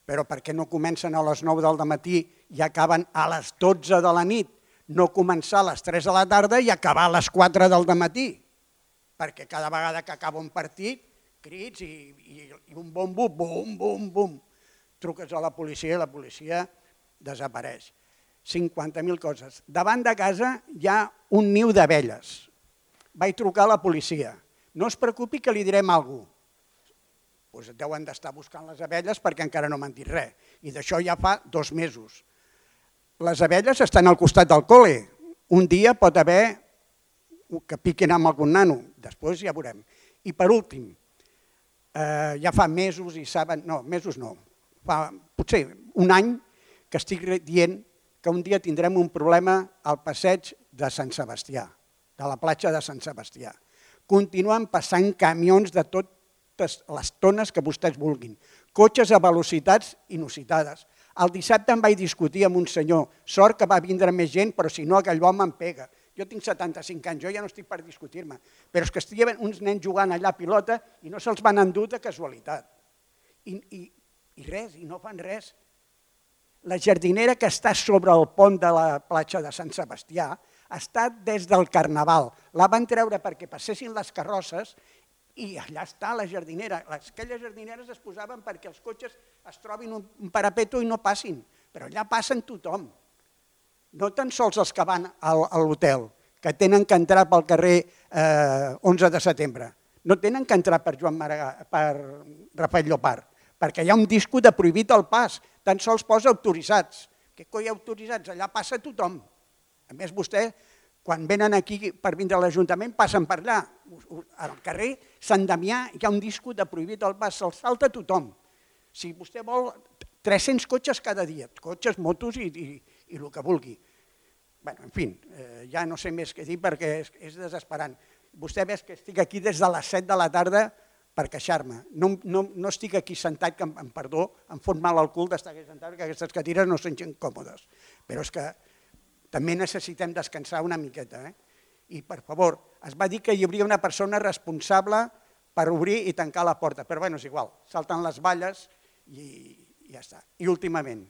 però per què no comencen a les 9 del matí i acaben a les 12 de la nit? No començar a les 3 de la tarda i acabar a les 4 del matí, perquè cada vegada que acaba un partit, crits i un bombo, bum, bum, bum. Truques a la policia i la policia desapareix. 50.000 coses. Davant de casa hi ha un niu d'abelles. Vaig trucar a la policia. No es preocupi que li direm alguna cosa. Deuen d'estar buscant les abelles perquè encara no m'han dit res. I d'això ja fa 2 mesos. Les abelles estan al costat del col·le. Un dia pot haver que piquin amb algun nano. Després ja veurem. I per últim, ja fa mesos i saben... No, mesos no. Fa potser un any que estic dient que un dia tindrem un problema al passeig de Sant Sebastià, de la platja de Sant Sebastià. Continuen passant camions de totes les tones que vostès vulguin, cotxes a velocitats inusitades. El dissabte em vaig discutir amb un senyor, sort que va vindre més gent, però si no aquell home em pega. Jo tinc 75 anys, jo ja no estic per discutir-me, però és que estiguin uns nens jugant allà a pilota i no se'ls van endur de casualitat. I res, i no fan res. La jardinera que està sobre el pont de la platja de Sant Sebastià està des del Carnaval. La van treure perquè passessin les carrosses i allà està la jardinera. Aquelles jardineres es posaven perquè els cotxes es trobin un parapeto i no passin, però allà passen tothom. No tan sols els que van a l'hotel, que tenen que entrar pel carrer 11 de setembre. No tenen que entrar per Rafael Llopart, perquè hi ha un disco de prohibit el pas, tan sols posa autoritzats. Què coi autoritzats? Allà passa tothom. A més, vostè, quan venen aquí per vindre a l'Ajuntament, passen per allà. Al carrer Sant Damià hi ha un disco de prohibit el pas, se'l salta tothom. Si vostè vol, 300 cotxes cada dia, cotxes, motos i el que vulgui. En fi, ja no sé més què dir perquè és desesperant. Vostè veu que estic aquí des de les 7 de la tarda per queixar-me. No estic aquí sentat, que em perdó, em fot mal al cul d'estar aquí sentat, perquè aquestes cadires no són gens còmodes. Però és que també necessitem descansar una miqueta. I, per favor, es va dir que hi hauria una persona responsable per obrir i tancar la porta, però és igual, salten les valles i ja està. I últimament,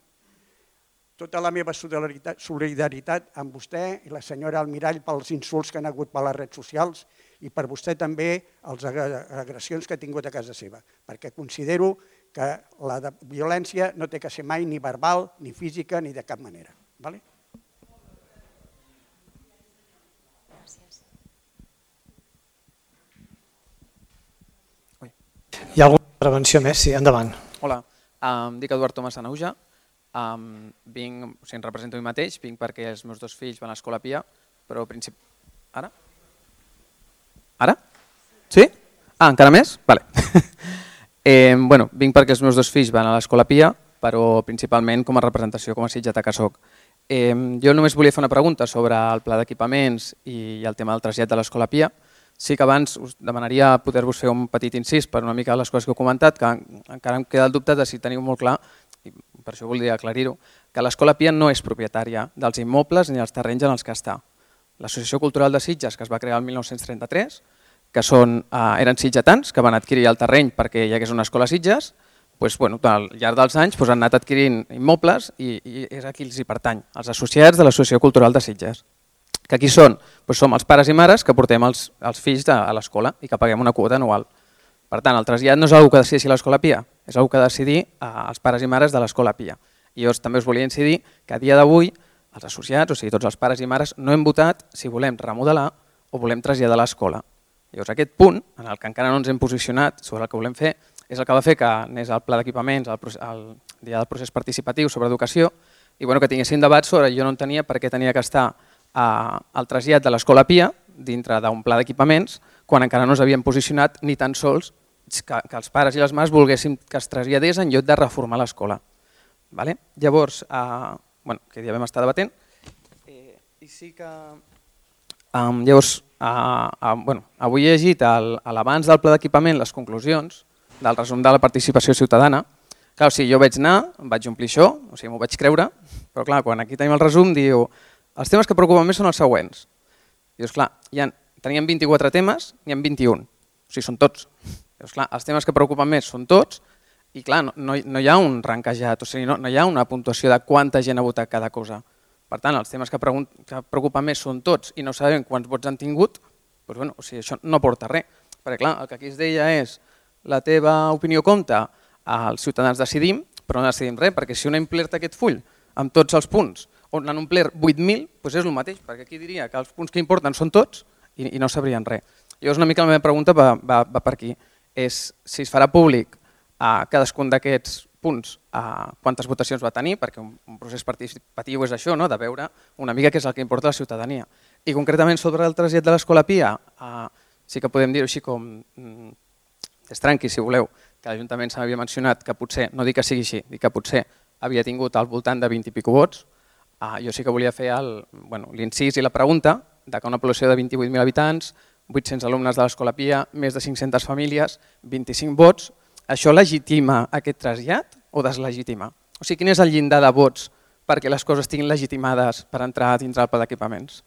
tota la meva solidaritat amb vostè i la senyora Almirall pels insults que han hagut per les redes socials i per vostè també les agressions que ha tingut a casa seva, perquè considero que la violència no té que ser mai ni verbal, ni física, ni de cap manera. Hi ha alguna intervenció més? Sí, endavant. Hola, em dic Eduard Tomàs Anauja, em represento a mi mateix, vinc perquè els meus 2 fills van a l'Escola Pia, però Ara? Ara? Sí? Encara més? Vale. Vinc perquè els meus 2 fills van a l'Escola Pia, però principalment com a representació com a sitgetà que soc. Jo només volia fer una pregunta sobre el pla d'equipaments i el tema del trasllat de l'Escola Pia. Sí que abans us demanaria poder-vos fer un petit incís per una mica les coses que heu comentat, que encara em queda el dubte de si teniu molt clar, i per això voldria aclarir-ho, que l'Escola Pia no és propietària dels immobles ni dels terrenys en els que està. L'Associació Cultural de Sitges, que es va crear el 1933, que eren sitgetans, que van adquirir el terreny perquè hi hagués una escola a Sitges, al llarg dels anys han anat adquirint immobles i és a qui els hi pertany, els associats de l'Associació Cultural de Sitges. Que aquí som els pares i mares que portem els fills a l'escola i que paguem una quota anual. Per tant, el trasllat no és una cosa que decideixi l'Escola Pia, és una cosa que ha de decidir els pares i mares de l'Escola Pia. I jo també us volia incidir que a dia d'avui els associats, o sigui, tots els pares i mares, no hem votat si volem remodelar o volem traslladar l'escola. Llavors aquest punt, en el que encara no ens hem posicionat sobre el que volem fer, és el que va fer que anés al pla d'equipaments, al dia del procés participatiu sobre educació, i que tinguessin debat sobre jo no entenia per què tenia que estar al trasllat de l'Escola Pia dintre d'un pla d'equipaments quan encara no ens havíem posicionat ni tan sols que els pares i les mares volguessin que es traslladés en lloc de reformar l'escola. Llavors, que ja vam estar debatent, i sí que... Llavors, avui he llegit l'abans del pla d'equipament les conclusions del resum de la participació ciutadana. Clar, o sigui, jo vaig anar, em vaig omplir això, o sigui, m'ho vaig creure, però clar, quan aquí tenim el resum diu els temes que preocupen més són els següents. Dius, clar, teníem 24 temes, n'hi ha 21, o sigui, són tots. Dius, clar, els temes que preocupen més són tots i clar, no hi ha un ranquejat, o sigui, no hi ha una puntuació de quanta gent ha votat cada cosa. Per tant, els temes que preocupen més són tots i no sabem quants vots han tingut, doncs, o sigui, això no porta res. Perquè clar, el que aquí es deia és la teva opinió compta, els ciutadans decidim, però no decidim res, perquè si un ha omplert aquest full amb tots els punts, on n'han omplert 8.000, doncs és el mateix, perquè aquí diria que els punts que importen són tots i no sabrien res. Llavors una mica la meva pregunta va per aquí, és si es farà públic a cadascun d'aquests punts quantes votacions va tenir, perquè un procés participatiu és això, de veure una mica què és el que importa a la ciutadania. I concretament sobre el trasllat de l'Escola Pia, sí que podem dir-ho així com destranqui, si voleu, que l'Ajuntament s'havia mencionat que potser, no dic que sigui així, dic que potser havia tingut al voltant de 20 i escaig vots. Jo sí que volia fer l'incís i la pregunta de que una població de 28.000 habitants, 800 alumnes de l'Escola Pia, més de 500 famílies, 25 vots, això legitima aquest trasllat o deslegitima? O sigui, quin és el llindar de vots perquè les coses estiguin legitimades per entrar dins del pla d'equipaments?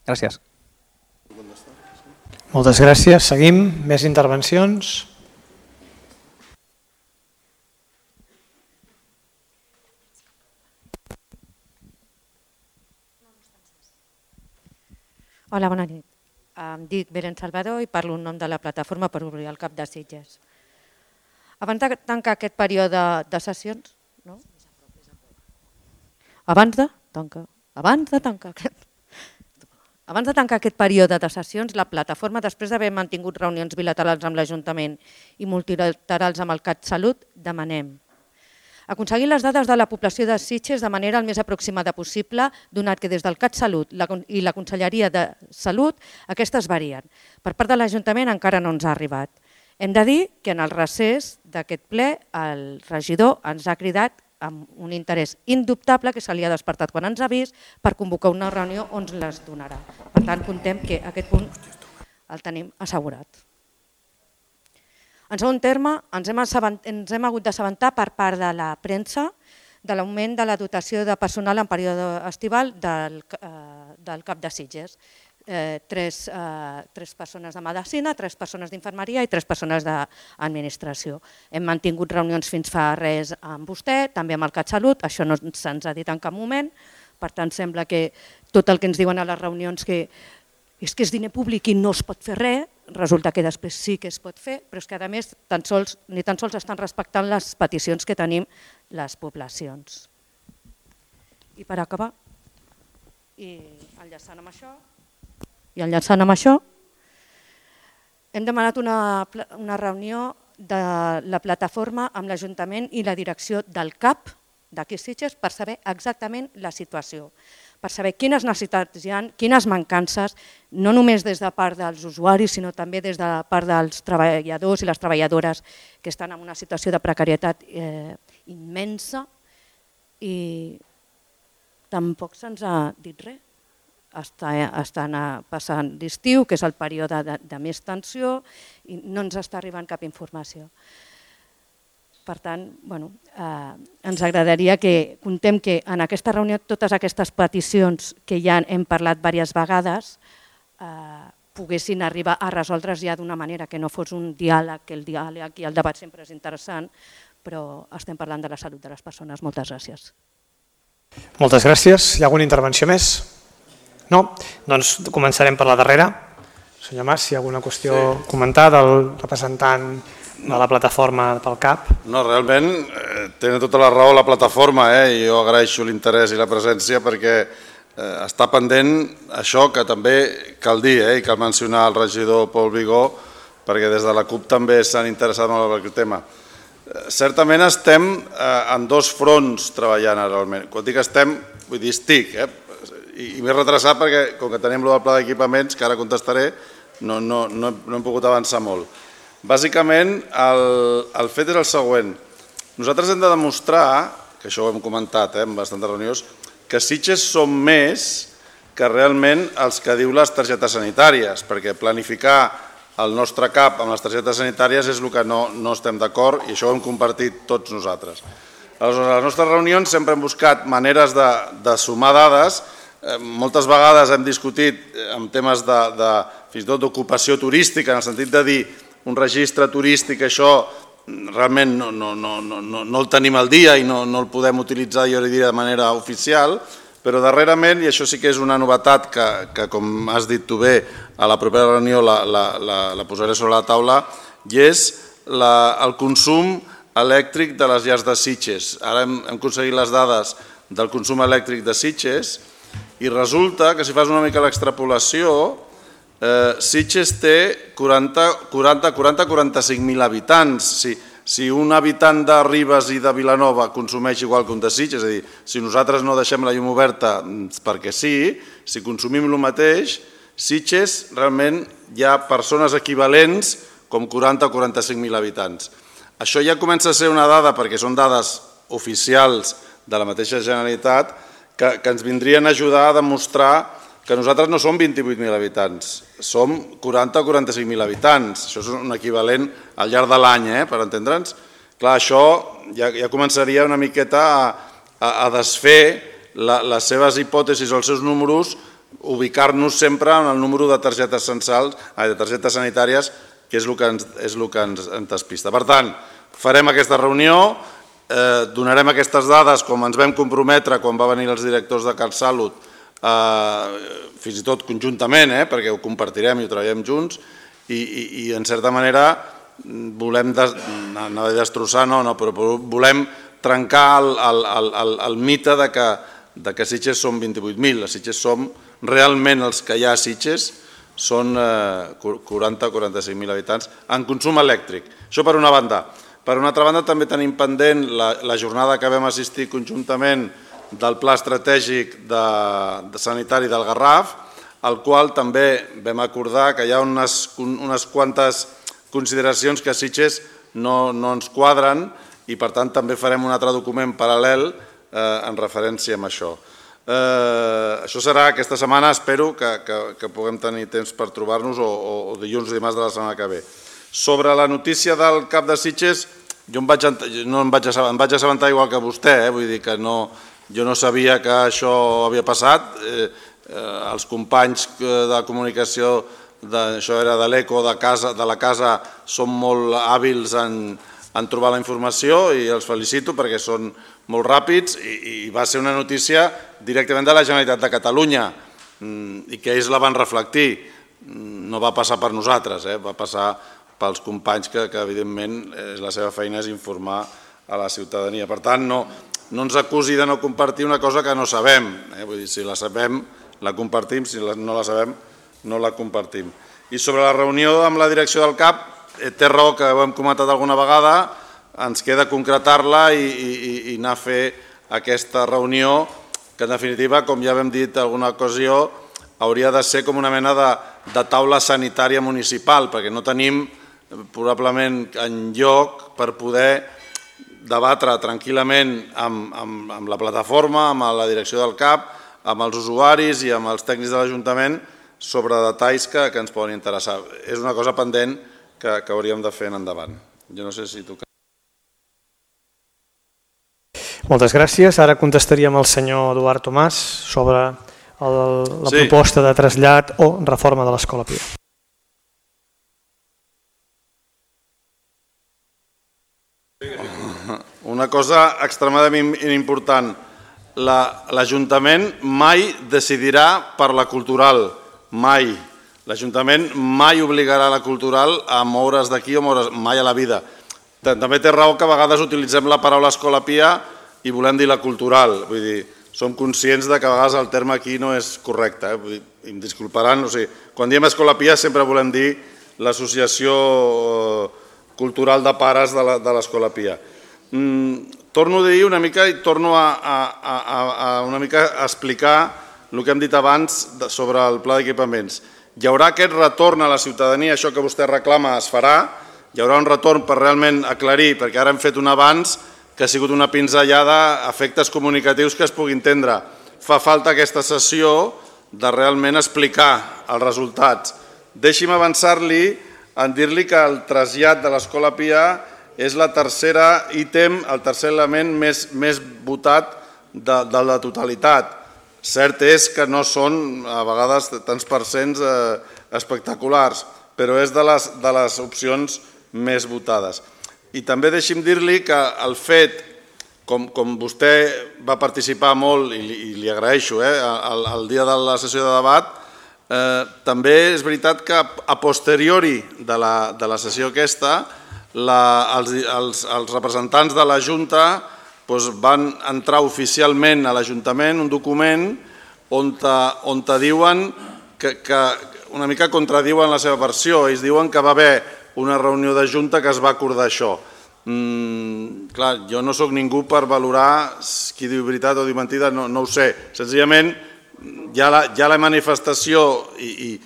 Gràcies. Moltes gràcies. Seguim. Més intervencions? Hola, bona nit. Em dic Belén Salvador i parlo en nom de la plataforma per obrir el CAP de Sitges. Abans de tancar aquest període de sessions, abans de tancar aquest període de sessions, la plataforma, després d'haver mantingut reunions bilaterals amb l'Ajuntament i multilaterals amb el CatSalut, demanem aconseguir les dades de la població de Sitges de manera el més aproximada possible, donat que des del CatSalut i la Conselleria de Salut aquestes varien. Per part de l'Ajuntament encara no ens ha arribat. Hem de dir que en el recés d'aquest ple el regidor ens ha cridat amb un interès indubtable que se li ha despertat quan ens ha vist per convocar una reunió on ens les donarà. Per tant, contem que aquest punt el tenim assegurat. En segon terme, ens hem hagut d'assabentar per part de la premsa de l'augment de la dotació de personal en període estival del CAP de Sitges. 3 persones de medicina, 3 persones d'infermeria i 3 persones d'administració. Hem mantingut reunions fins fa res amb vostè, també amb el CatSalut, això no se'ns ha dit en cap moment, per tant sembla que tot el que ens diuen a les reunions que és diner públic i no es pot fer res, resulta que després sí que es pot fer, però és que a més ni tan sols estan respectant les peticions que tenim les poblacions. I per acabar, i enllaçant amb això, hem demanat una reunió de la plataforma amb l'Ajuntament i la direcció del CAP d'aquí Sitges per saber exactament la situació, per saber quines necessitats hi ha, quines mancances, no només des de part dels usuaris, sinó també des de part dels treballadors i les treballadores que estan en una situació de precarietat immensa i tampoc se'ns ha dit res. Estan passant l'estiu, que és el període de més tensió, i no ens està arribant cap informació. Per tant, ens agradaria que contem que en aquesta reunió totes aquestes peticions que ja hem parlat diverses vegades poguessin arribar a resoldre's ja d'una manera que no fos un diàleg, que el diàleg i el debat sempre és interessant, però estem parlant de la salut de les persones. Moltes gràcies. Moltes gràcies. Hi ha alguna intervenció més? No? Doncs començarem per la darrera. Senyor Mas, si hi ha alguna qüestió a comentar del representant de la plataforma pel CAP. No, realment tenen tota la raó la plataforma i jo agraeixo l'interès i la presència perquè està pendent això que també cal dir i cal mencionar el regidor Pol Vigó perquè des de la CUP també s'han interessat molt en aquest tema. Certament estem en dos fronts treballant realment. Quan dic estem, vull dir estic, i m'he retrasat perquè com que tenim el pla d'equipaments, que ara contestaré, no hem pogut avançar molt. Bàsicament, el fet és el següent. Nosaltres hem de demostrar, que això ho hem comentat en bastantes reunions, que Sitges som més que realment els que diu les targetes sanitàries, perquè planificar el nostre CAP amb les targetes sanitàries és el que no estem d'acord i això ho hem compartit tots nosaltres. Aleshores, a les nostres reunions sempre hem buscat maneres de sumar dades. Moltes vegades hem discutit en temes fins i tot d'ocupació turística, en el sentit de dir un registre turístic, això realment no el tenim al dia i no el podem utilitzar, jo diria, de manera oficial, però darrerament, i això sí que és una novetat que com has dit tu bé, a la propera reunió la posaré sobre la taula, i és el consum elèctric de les llars de Sitges. Ara hem aconseguit les dades del consum elèctric de Sitges i resulta que si fas una mica l'extrapolació, Sitges té 40-45.000 habitants. Si un habitant de Ribes i de Vilanova consumeix igual que un de Sitges, és a dir, si nosaltres no deixem la llum oberta perquè sí, si consumim el mateix, Sitges realment hi ha persones equivalents com 40 o 45.000 habitants. Això ja comença a ser una dada, perquè són dades oficials de la mateixa Generalitat, que ens vindrien a ajudar a demostrar que nosaltres no som 28.000 habitants, som 40 o 45.000 habitants. Això és un equivalent al llarg de l'any, per entendre'ns. Clar, això ja començaria una miqueta a desfer les seves hipòtesis o els seus números, ubicar-nos sempre en el número de targetes sanitàries, que és el que ens despista. Per tant, farem aquesta reunió, donarem aquestes dades com ens vam comprometre quan va venir els directors de CatSalut, fins i tot conjuntament, perquè ho compartirem i ho treballem junts, i en certa manera volem destrossar, però volem trencar el mite que Sitges som 28.000. A Sitges som realment els que hi ha a Sitges, són 40 o 45.000 habitants en consum elèctric. Això per una banda. Per una altra banda també tenim pendent la jornada que vam assistir conjuntament del Pla Estratègic Sanitari del Garraf, al qual també vam acordar que hi ha unes quantes consideracions que a Sitges no ens quadren i per tant també farem un altre document paral·lel en referència amb això. Això serà aquesta setmana, espero que puguem tenir temps per trobar-nos o dilluns o dimarts de la setmana que ve. Sobre la notícia del CAP de Sitges, jo em vaig assabentar igual que vostè, vull dir que jo no sabia que això havia passat. Els companys de comunicació, això era de l'ECO, de la casa, són molt hàbils en trobar la informació i els felicito perquè són molt ràpids i va ser una notícia directament de la Generalitat de Catalunya i que ells la van reflectir. No va passar per nosaltres, va passar pels companys que evidentment la seva feina és informar a la ciutadania. Per tant, no ens acusi de no compartir una cosa que no sabem. Vull dir, si la sabem, la compartim, si no la sabem, no la compartim. I sobre la reunió amb la direcció del CAP, té raó que ho hem comentat alguna vegada, ens queda concretar-la i anar a fer aquesta reunió, que en definitiva, com ja vam dit en alguna ocasió, hauria de ser com una mena de taula sanitària municipal, perquè no tenim probablement enlloc per poder debatre tranquil·lament amb la plataforma, amb la direcció del CAP, amb els usuaris i amb els tècnics de l'Ajuntament sobre detalls que ens poden interessar. És una cosa pendent que hauríem de fer en endavant. Jo no sé si tu... Moltes gràcies. Ara contestaríem al senyor Eduard Tomàs sobre la proposta de trasllat o reforma de l'Escola Pia. Una cosa extremadament important. L'Ajuntament mai decidirà per la cultural, mai. L'Ajuntament mai obligarà la cultural a moure's d'aquí o moure's mai a la vida. També té raó que a vegades utilitzem la paraula escola pia i volem dir la cultural. Vull dir, som conscients que a vegades el terme aquí no és correcte. I em disculparan, quan diem escola pia sempre volem dir l'associació cultural de pares de l'escola pia. Torno a dir una mica i torno a una mica a explicar el que hem dit abans sobre el pla d'equipaments. Hi haurà aquest retorn a la ciutadania, això que vostè reclama es farà, hi haurà un retorn per realment aclarir, perquè ara hem fet un avanç que ha sigut una pinzellada a efectes comunicatius que es pugui entendre. Fa falta aquesta sessió de realment explicar els resultats. Deixi'm avançar-li en dir-li que el trasllat de l'Escola Pia és el tercer ítem, el tercer element més votat de la totalitat. Cert és que no són a vegades tants percents espectaculars, però és de les opcions més votades. I també deixi'm dir-li que el fet, com vostè va participar molt i li agraeixo el dia de la sessió de debat, també és veritat que a posteriori de la sessió aquesta els representants de la Junta van entrar oficialment a l'Ajuntament un document on diuen que una mica contradiuen la seva versió. Ells diuen que va haver una reunió de Junta que es va acordar això. Clar, jo no sóc ningú per valorar qui diu veritat o diu mentida, no ho sé. Senzillament hi ha la manifestació i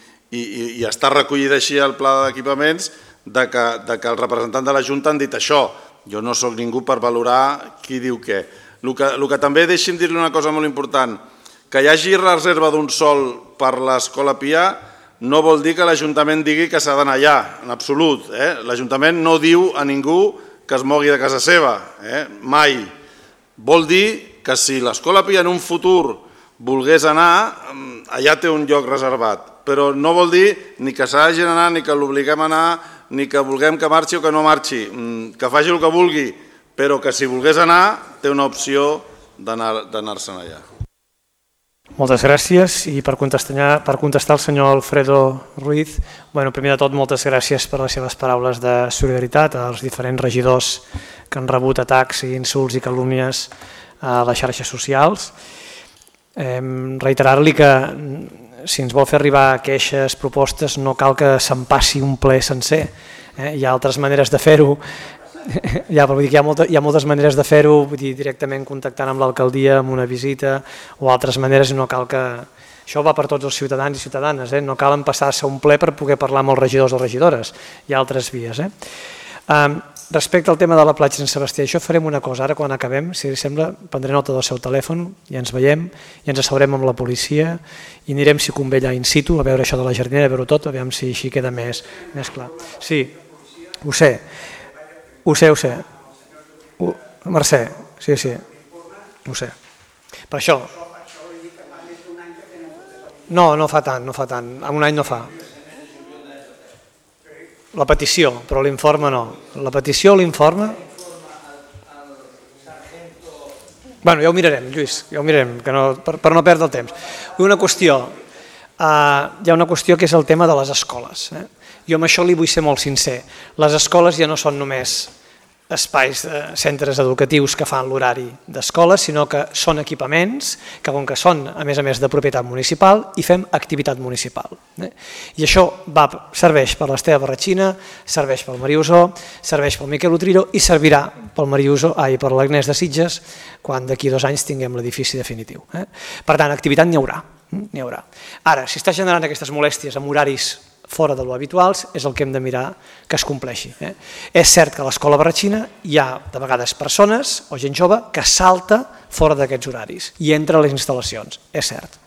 està recollida així al pla d'equipaments que els representants de la Junta han dit això. Jo no sóc ningú per valorar qui diu què. El que també deixi'm dir-li una cosa molt important, que hi hagi reserva d'un sòl per l'Escola Pia no vol dir que l'Ajuntament digui que s'ha d'anar allà, en absolut. L'Ajuntament no diu a ningú que es mogui de casa seva, mai. Vol dir que si l'Escola Pia en un futur volgués anar, allà té un lloc reservat, però no vol dir ni que s'hagi d'anar, ni que l'obliguem a anar, ni que vulguem que marxi o que no marxi, que faci el que vulgui, però que si volgués anar té una opció d'anar-se'n allà. Moltes gràcies i per contestar al senyor Alfredo Ruiz, primer de tot moltes gràcies per les seves paraules de solidaritat als diferents regidors que han rebut atacs i insults i calúmnies a les xarxes socials. Reiterar-li que si ens vol fer arribar queixes, propostes, no cal que se'n passi un ple sencer. Hi ha altres maneres de fer-ho. Hi ha moltes maneres de fer-ho, directament contactant amb l'alcaldia, amb una visita o altres maneres. No cal que... Això va per tots els ciutadans i ciutadanes. No cal empassar-se un ple per poder parlar amb els regidors o regidores. Hi ha altres vies. Respecte al tema de la platja de Sant Sebastià, això farem una cosa, ara quan acabem, si li sembla, prendré nota del seu telèfon i ens veiem i ens asseurem amb la policia i anirem, si convé, allà in situ a veure això de la jardinera, a veure-ho tot, a veure si així queda més clar. Sí, ho sé. Mercè, sí, ho sé. Per això... No fa tant, en un any no fa. La petició, però l'informe no. La petició o l'informe... Ja ho mirarem, Lluís, ja ho mirarem, per no perdre el temps. Hi ha una qüestió que és el tema de les escoles. Jo amb això li vull ser molt sincer. Les escoles ja no són només espais, centres educatius que fan l'horari d'escoles, sinó que són equipaments que, com que són, a més de propietat municipal, hi fem activitat municipal. I això serveix per l'Esteve Barratxina, serveix pel Mariusó, serveix pel Miquel Utrillo i servirà per l'Agnès de Sitges quan d'aquí 2 anys tinguem l'edifici definitiu. Per tant, activitat n'hi haurà. Ara, si està generant aquestes molèsties amb horaris fora de lo habituals, és el que hem de mirar que es compleixi. És cert que a l'Escola Barratxina hi ha de vegades persones o gent jove que salta fora d'aquests horaris i entra a les instal·lacions, és cert.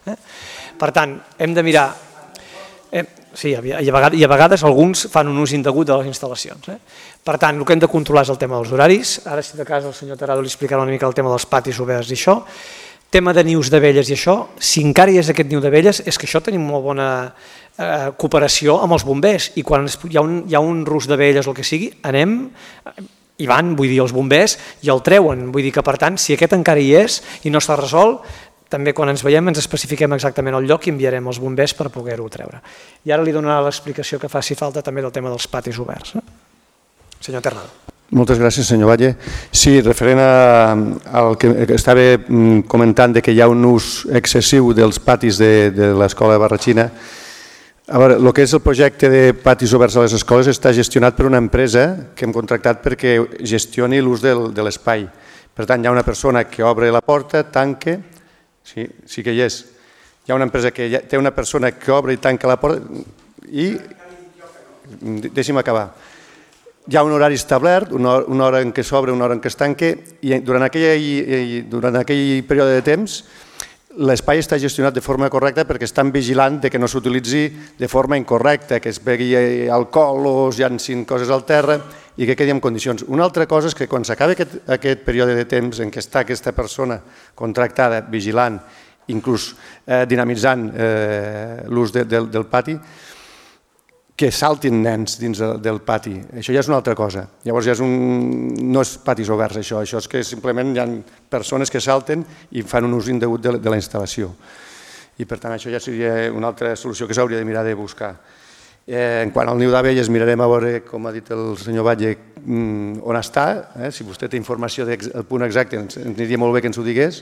Per tant, hem de mirar... Sí, i a vegades alguns fan un ús indegut de les instal·lacions. Per tant, el que hem de controlar és el tema dels horaris. Ara, si de cas, el senyor Tarado li explicarà una mica el tema dels patis oberts i això. Tema de nius d'abelles i això, si encara hi és aquest niu d'abelles, és que això tenim molt bona cooperació amb els bombers i quan hi ha un rus d'abelles o el que sigui, hi van, vull dir, els bombers i el treuen, vull dir que per tant, si aquest encara hi és i no està resolt, també quan ens veiem ens especifiquem exactament el lloc i enviarem els bombers per poder-ho treure. I ara li donarà l'explicació que faci falta també del tema dels patis oberts. Senyor Ternal. Moltes gràcies, senyor Valle. Sí, referent al que estava comentant de que hi ha un ús excessiu dels patis de l'escola de Barratxina. A veure, el que és el projecte de patis oberts a les escoles està gestionat per una empresa que hem contractat perquè gestioni l'ús de l'espai. Per tant, hi ha una persona que obre la porta, tanca, sí que hi és. Hi ha una empresa que té una persona que obre i tanca la porta i... Deixi'm acabar. Hi ha un horari establert, una hora en què s'obre, una hora en què es tanca, i durant aquell període de temps l'espai està gestionat de forma correcta perquè estan vigilant que no s'utilitzi de forma incorrecta, que es begui alcohol o es llancin coses al terra i que quedi en condicions. Una altra cosa és que quan s'acaba aquest període de temps en què està aquesta persona contractada, vigilant, inclús dinamitzant l'ús del pati, que saltin nens dins del pati. Això ja és una altra cosa. Llavors no és patis oberts, això és que simplement hi ha persones que salten i fan un ús indegut de la instal·lació. I per tant això ja seria una altra solució que s'hauria de mirar de buscar. En quant al niu d'abelles mirarem a veure, com ha dit el senyor Batlle, on està. Si vostè té informació del punt exacte ens aniria molt bé que ens ho digués.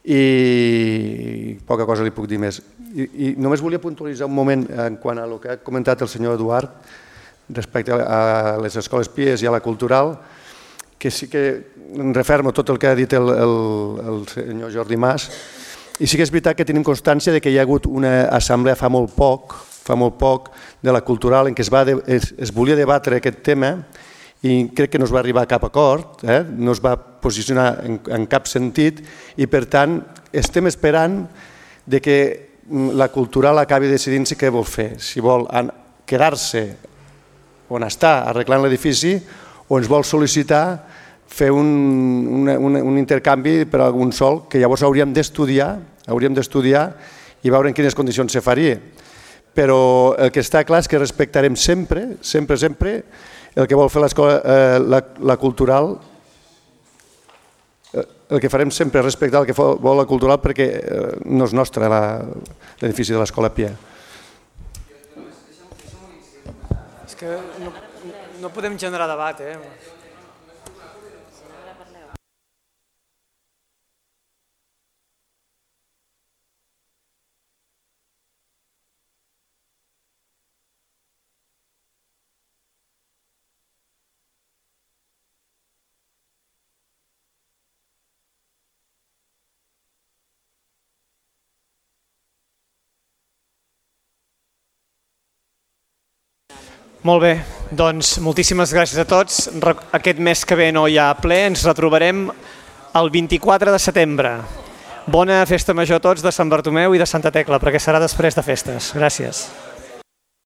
I poca cosa li puc dir més. I només volia puntualitzar un moment en quant a el que ha comentat el senyor Eduard respecte a les escoles pies i a la cultural, que sí que em refermo tot el que ha dit el senyor Jordi Mas, i sí que és veritat que tenim constància que hi ha hagut una assemblea fa molt poc de la cultural en què es volia debatre aquest tema i crec que no es va arribar a cap acord, no es va posicionar en cap sentit i per tant estem esperant que la cultural acabi decidint què vol fer, si vol quedar-se on està arreglant l'edifici o ens vol sol·licitar fer un intercanvi per algun sòl que llavors hauríem d'estudiar i veure en quines condicions se faria. Però el que està clar és que respectarem sempre el que vol fer la cultural, el que farem sempre és respectar el que vol la cultural perquè no és nostre l'edifici de l'Escola Pia. És que no podem generar debat, Molt bé, doncs moltíssimes gràcies a tots. Aquest mes que ve no hi ha ple, ens retrobarem el 24 de setembre. Bona festa major a tots de Sant Bartomeu i de Santa Tecla, perquè serà després de festes. Gràcies.